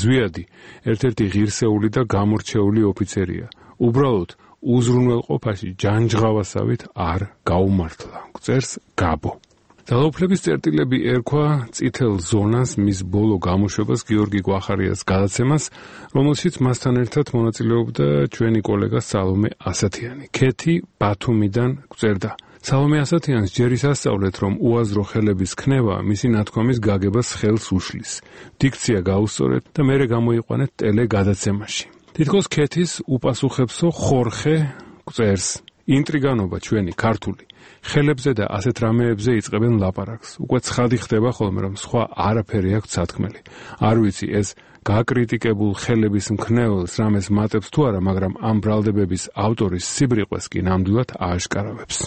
ზვიადი ერთ-ერთი ღირსეული და გამორჩეული ოფიცერია. უბრალოდ უზრუნველყოფაში ჯანჯღავასავით არ გაუმართლა. წერს გაბო. ძალაუფლების წერტილები ერქვა წითელ ზონას, მის ბოლო გამოშვებას გიორგი გვახარიას გადაცემას, რომელშიც მასთან ერთად მონაწილეობდა ჩვენი კოლეგა სალომე ასათიანი. ქეთი ბათუმიდან გვწერდა. სალომე ასათიანს ჯერ ის ასწავლეთ, რომ უაზრო ხელების ქნება მისი ნათქვამის გაგებას ხელს უშლის. დიქცია გაუსწორეთ და მერე გამოიყვანეთ ტელე გადაცემაში. თითქოს ქეთის უპასუხებსო ხორხე წერს. ინტრიგანობა ჩვენი ქართული. ხელებზე და ასეთ რამეებზე იწყებენ ლაპარაკს. უკვე ცხადი ხდება ხოლმე, რომ სხვა არაფერი აქვს სათქმელი. არ ვიცი ეს გაკრიტიკებულ ხელების მქნეველს რამეს მატებს თუ არა, მაგრამ ამ ბრალდებების ავტორის სიბრიყვეს კი ნამდვილად ააშკარავებს.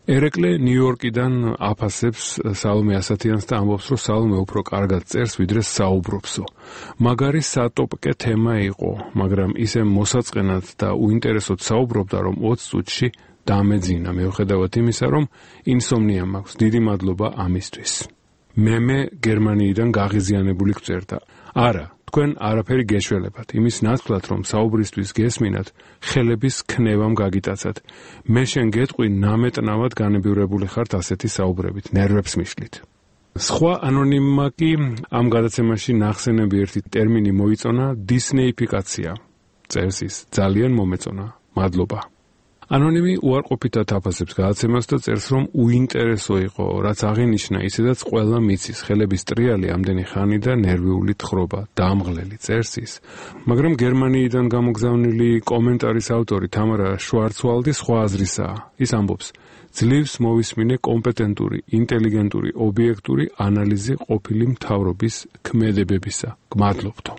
ერეკლე ნიუ-იორკიდან აფასებს სალომე ასათიანს და ამბობს, რომ სალომე უფრო კარგად წერს, ვიდრე საუბრობსო. მაგარი სატოპკე თემა იყო, მაგრამ ისე მოსაწყენად და უინტერესოდ საუბრობდა, რომ ოცი წუთში დამეძინა, მიუხედავად იმისა, რომ ინსომნია მაქვს. დიდი მადლობა ამისთვის. მემე გერმანიიდან გაღიზიანებული გვწერდა. არა, თქვენ არაფერი გეშველებათ. იმის ნაცვლად, რომ საუბრისთვის გესმინათ, ხელების ქნევამ გაგიტაცათ. მე შენ გეტყვი, ნამეტნავად განებივრებული ხართ ასეთი საუბრებით, ნერვებს მიშლით. სხვა ანონიმმა კი ამ გადაცემაში ნახსენები ერთი ტერმინი მოიწონა დისნეიფიკაცია. წერს ის, ძალიან მომეწონა. მადლობა. ანონიმი უარყოფითად აფასებს გადაცემას და წერს, რომ უინტერესო იყო, რაც აღინიშნა, ისედაც ყველა მიცის, ხელების ტრიალი ამდენი ხანი და ნერვიული თხრობა, დამღლელი, წერს ის. მაგრამ გერმანიიდან გამოგზავნილი კომენტარის ავტორი თამარა შვარცვალდი სხვა აზრისაა. ის ამბობს, ძლივს მოვისმინე კომპეტენტური, ინტელიგენტური, ობიექტური ანალიზი ყოფილი მთავრობის ქმედებებისა. გმადლობთო.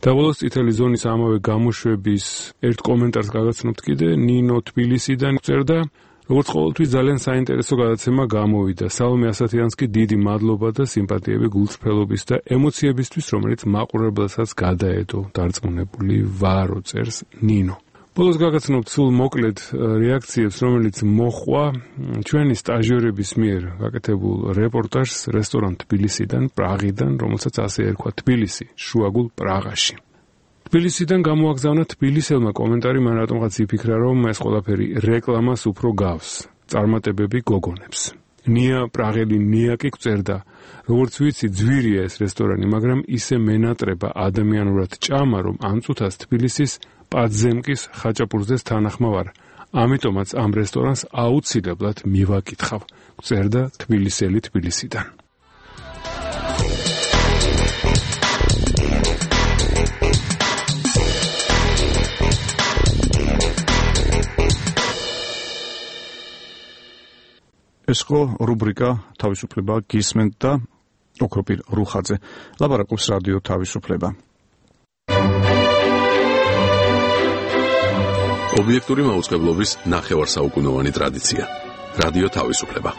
დაბოლოს წითელი ზონის ამავე გამოშვების ერთ კომენტარს გაგაცნობთ კიდე, ნინო თბილისიდან წერდა, როგორც ყოველთვის ძალიან საინტერესო გადაცემა გამოვიდა. სალომე ასათიანს კი დიდი მადლობა და სიმპათიები გულწრფელობის და ემოციებისთვის, რომელიც მაყურებელსაც გადაედო. დარწმუნებული ვარო, წერს ნინო. ბოლოს გაგაცნობთ სულ მოკლედ რეაქციებს, რომელიც მოხვა ჩვენი სტაჟიორების მიერ გაკეთებულ რეპორტაჟს რესტორან თბილისიდან, პრაღიდან, რომელსაც ასე ერქვა თბილისი, შუაგულ პრაღაში. თბილისიდან გამოაგზავნა თბილისელმა კომენტარი, მან რატომღაც იფიქრა, რომ ეს ყველაფერი რეკლამას უფრო გავს, წარმატებები გოგონებს. ნია პრაღელი ნია კი წერდა, როგორც ვიცი, ძვირია ეს რესტორანი, მაგრამ ისე მენატრება ადამიანურად ჭამა, რომ ამ წუთას თბილისის პადზემკის ხაჭაპურზეს თანახმავარ. ამიტომაც ამ რესტორანს აუცილებლად მივაკითხავ, წერდა თბილისელი თბილისიდან. ეს ხო რუბრიკა თავისუფლება გისმენთ და ოქროპირ რუხაძე ლაპარაკობს რადიო თავისუფლება. ობიექტური მაუწყებლობის ნახევარსაუკუნოვანი ტრადიცია. რადიო თავისუფლება.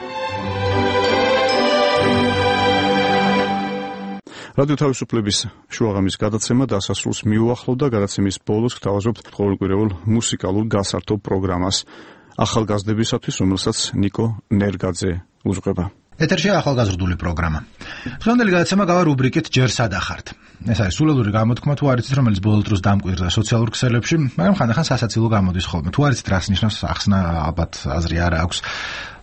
რადიო თავისუფლების შუაღამის გადაცემა დასასრულს მიუახლოვდა. გადაცემის ბოლოს გთავაზობთ ყოველკვირეულ მუსიკალურ გასართობ პროგრამას ახალგაზრდებისათვის, რომელსაც ნიკო ნერგაძე უძღვება. ეთერშია ახალგაზრდული პროგრამა. დღევანდელი გადაცემა გავა რუბრიკით ჯერ სადახართ. ეს არის სულელური გამოთქმა, თუ არ იცით, რომელიც ბოლო დროს დამკვირდა სოციალურ ქსელებში, მაგრამ ხანდახან სასაცილო გამოდის ხოლმე. თუ არ იცით, რას ნიშნავს ახსნა, ალბათ აზრი არ აქვს.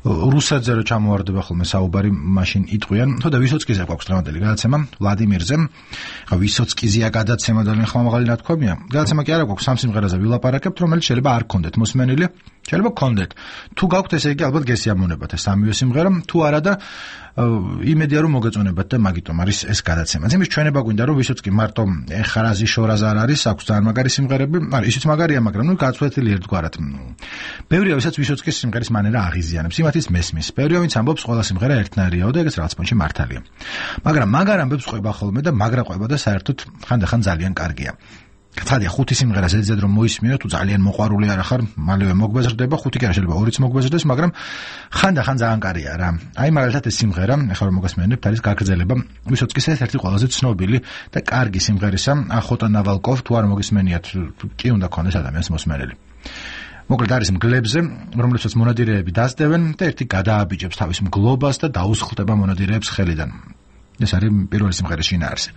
რუსეთზე რო ჩამოვარდება ხოლმე საუბარი, მაშინ იტყვიან, ხო და ვისოცკიზე გვაქვს დღევანდელი გადაცემა, ვლადიმირზე. ხა ვისოცკიზია გადაცემა ძალიან ხმამაღალი ნათქვამია. გადაცემა კი არა გვაქვს, სამ სიმღერაზე ვილაპარაკებთ, რომელიც შეიძლება არ გქონდეთ მოსმენილი, შეიძლება გქონდეთ. თუ გაქვთ, ესე იგი ალბათ გესიამოვნებათ ეს სამივე სიმღერა, თუ არა და იმედია რომ მოგეწონებათ და მაგიტომ არის ეს გადაცემა. იმის ჩვენება გვინდა რომ ვისოცკი მარტო ეხარაზი შორაზ არ არის, აქვს ძალიან მაგარი სიმღერები, არა ისიც მაგარია, მაგრამ ნუ გაცვლეთილი ერთგვარად. ბევრია ვისაც ვისოცკის სიმღერის მანერა აღიზიანებს, იმათიც მესმის. ბევრია ვინც ამბობს ყველა სიმღერა ერთნაირიაო და ეგეც რაღაც პონჩი მართალია. მაგრამ მაგარ ამბებს ყვება ხოლმე და მაგრა ყვება და საერთოდ ხანდახან ძალიან კარგია. ცხადია, ხუთი სიმღერა ზედზედ რომ მოისმინო, თუ ძალიან მოყვარული არ ახარ, მალევე მოგვეზრდება, ხუთი კი არა, შეიძლება ორიც მოგვეზრდეს, მაგრამ ხანდახან ძალიან კარგია რა. აი მაგალითად ეს სიმღერა, ახლა რომ მოგესმენებთ, არის გაგრძელება ვისოცკის ერთ-ერთი ყველაზე ცნობილი და კარგი სიმღერისა, ახოტა ნავალკოვ, თუ არ მოგესმენიათ, კი უნდა ქონდეს ადამიანს მოსმენელი. მოკლედ არის მგლებზე, რომლებსაც მონადირეები დასდევენ და ერთი გადააბიჯებს თავის მგლობას და დაუსხლტება მონადირეებს ხელიდან. ეს არის პირველი სიმღერის შინაარსი.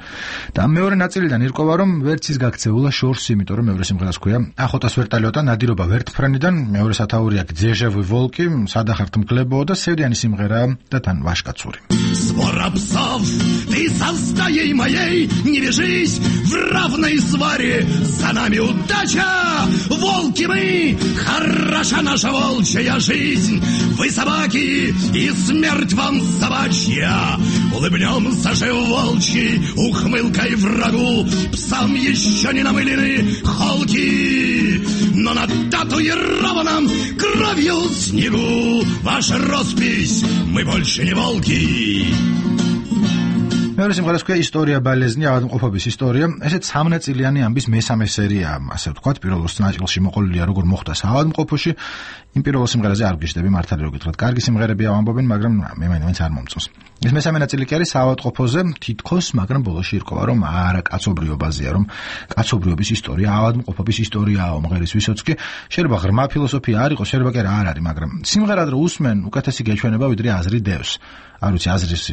და მეორე ნაწილიდან ირკვევა, რომ ვერც ის გაქცეულა შორს, იმიტომ რომ მეორე სიმღერას ქვია ახოტას ვერტალიოტა ნადირობა ვერტფრენიდან, მეორე სათაურია ძეჟევი ვოლკი, სადახართ მგლებო და სევდიანი სიმღერა და თან ვაშკაცური. Свора псов, ты со стаей моей не вяжись в равной сваре, за нами удача, волки мы, хороша наша волчья жизнь, вы собаки и смерть вам собачья, улыбнемся же волчьей ухмылкой врагу, псам еще не намылены холки, но на татуированном кровью снегу ваша роспись, мы больше не волки. მეორე სიმღერას ქვია ისტორია ბალეზნი, ავადმყოფობის ისტორია. ესეც სამნაწილიანი ამბის მესამე სერიაა, ასე ვთქვათ. პირველ ოც ნაწილში მოყოლილია როგორ მოხდა საავადმყოფოში. იმ პირველ სიმღერაზე არ გიждდები, მართალი რო გითხრათ. კარგი სიმღერებია ამბობენ, მაგრამ მე მაინც არ მომწონს. ეს მესამე ნაწილი კი არის საავადმყოფოზე, თითქოს, მაგრამ ბოლოში ირკვევა, რომ არა კაცობრიობაზეა, რომ კაცობრიობის ისტორია, ავადმყოფობის ისტორიაა, მომღერის ვისოცკი. შეიძლება ღრმა ფილოსოფია არ იყოს, შეიძლება კი არ არის, მაგრამ სიმღერად რო უსმენ, უკეთესი გეჩვენება, ვიდრე აზრი დევს. არ ვიცი აზრის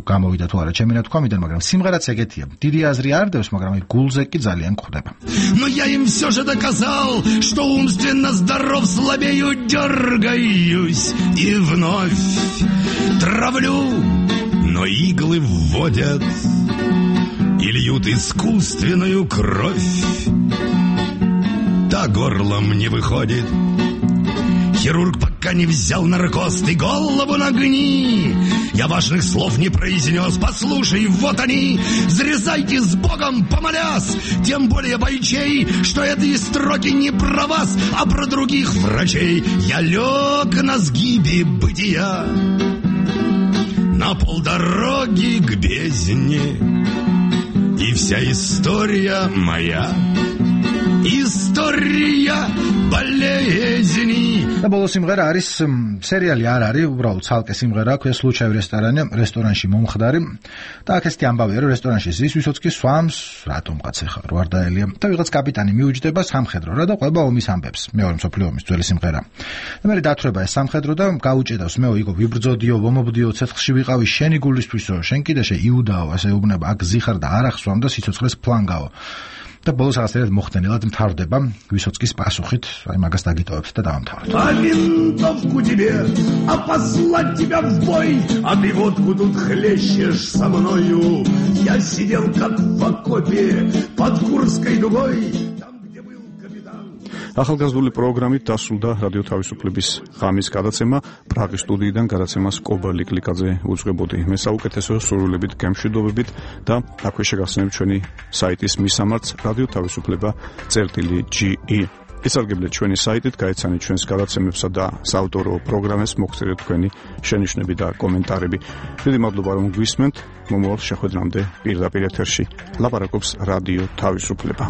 გამოვიდა თუ არა ჩემი ნათქვამიდან, მაგრამ სიმღერაც ეგეთია. დიდი აზრი არ დევს, მაგრამ აი გულზე კი ძალიან გვხვდება. Но я им все же доказал, что умственно здоров, слабею, дергаюсь и вновь травлю но иглы вводят и льют искусственную кровь. До горла мне выходит. Хирург пока не взял наркоз, ты голову нагни. Я важных слов не произнес, послушай, вот они. Взрезайте с Богом, помолясь, тем более бойчей, что эти строки не про вас, а про других врачей. Я лег на сгибе бытия, на полдороги к бездне, и вся история моя, история болезни. და ბოლოს სიმღერა არის სერიალი არ არის, უბრალოდ ცალკე სიმღერა, ქვია სლუჩაევ რესტორანი, რესტორანში მომხდარი. და აქ ესეთი ამბავია, რომ რესტორანში ზის, ვისაც კი სვამს, რატომღაც ეხა რვარდაელია. და ვიღაც კაპიტანი მიუჯდება სამხედრო რა და ყვება ომის ამბებს. მეორე მსოფლიო ომის ძველი სიმღერა. და მე დათრება ეს სამხედრო და გაუჭედავს მეო იგო ვიბრძოდიო, ვომობდიო, ცეცხლში ვიყავი შენი გულისთვისო, შენ კიდე შე იუდაო, ასე უბნება, აქ ზიხარ და არ ახსვამ და სიცოცხლეს ფლანგაო. და ბოლოს რაღაცნაირად მოხდენილად მთავრდება ვისოცკის პასუხით, აი მაგას დაგიტოვებთ და დავამთავროთ. А винтовку тебе, а послать тебя в бой, а ты водку тут хлещешь со мною. Я сидел как в окопе под Курской дугой. ახალგაზრდული პროგრამით დასრულდა რადიო თავისუფლების ღამის გადაცემა. პრაღის სტუდიიდან გადაცემას კობალი კლიკაძე უძღვებოდი. მე საუკეთესო სურვილებით, გემშვიდობებით და აქვე შეგახსენებთ ჩვენი საიტის მისამართს რადიო თავისუფლება წერტილი ჯი ი. ისარგებლეთ ჩვენი საიტით, გაეცანით ჩვენს გადაცემებსა და საავტორო პროგრამებს, მოგწერეთ თქვენი შენიშვნები და კომენტარები. დიდი მადლობა რომ გვისმენთ. მომავალ შეხვედრამდე პირდაპირ ეთერში ლაპარაკობს რადიო თავისუფლება.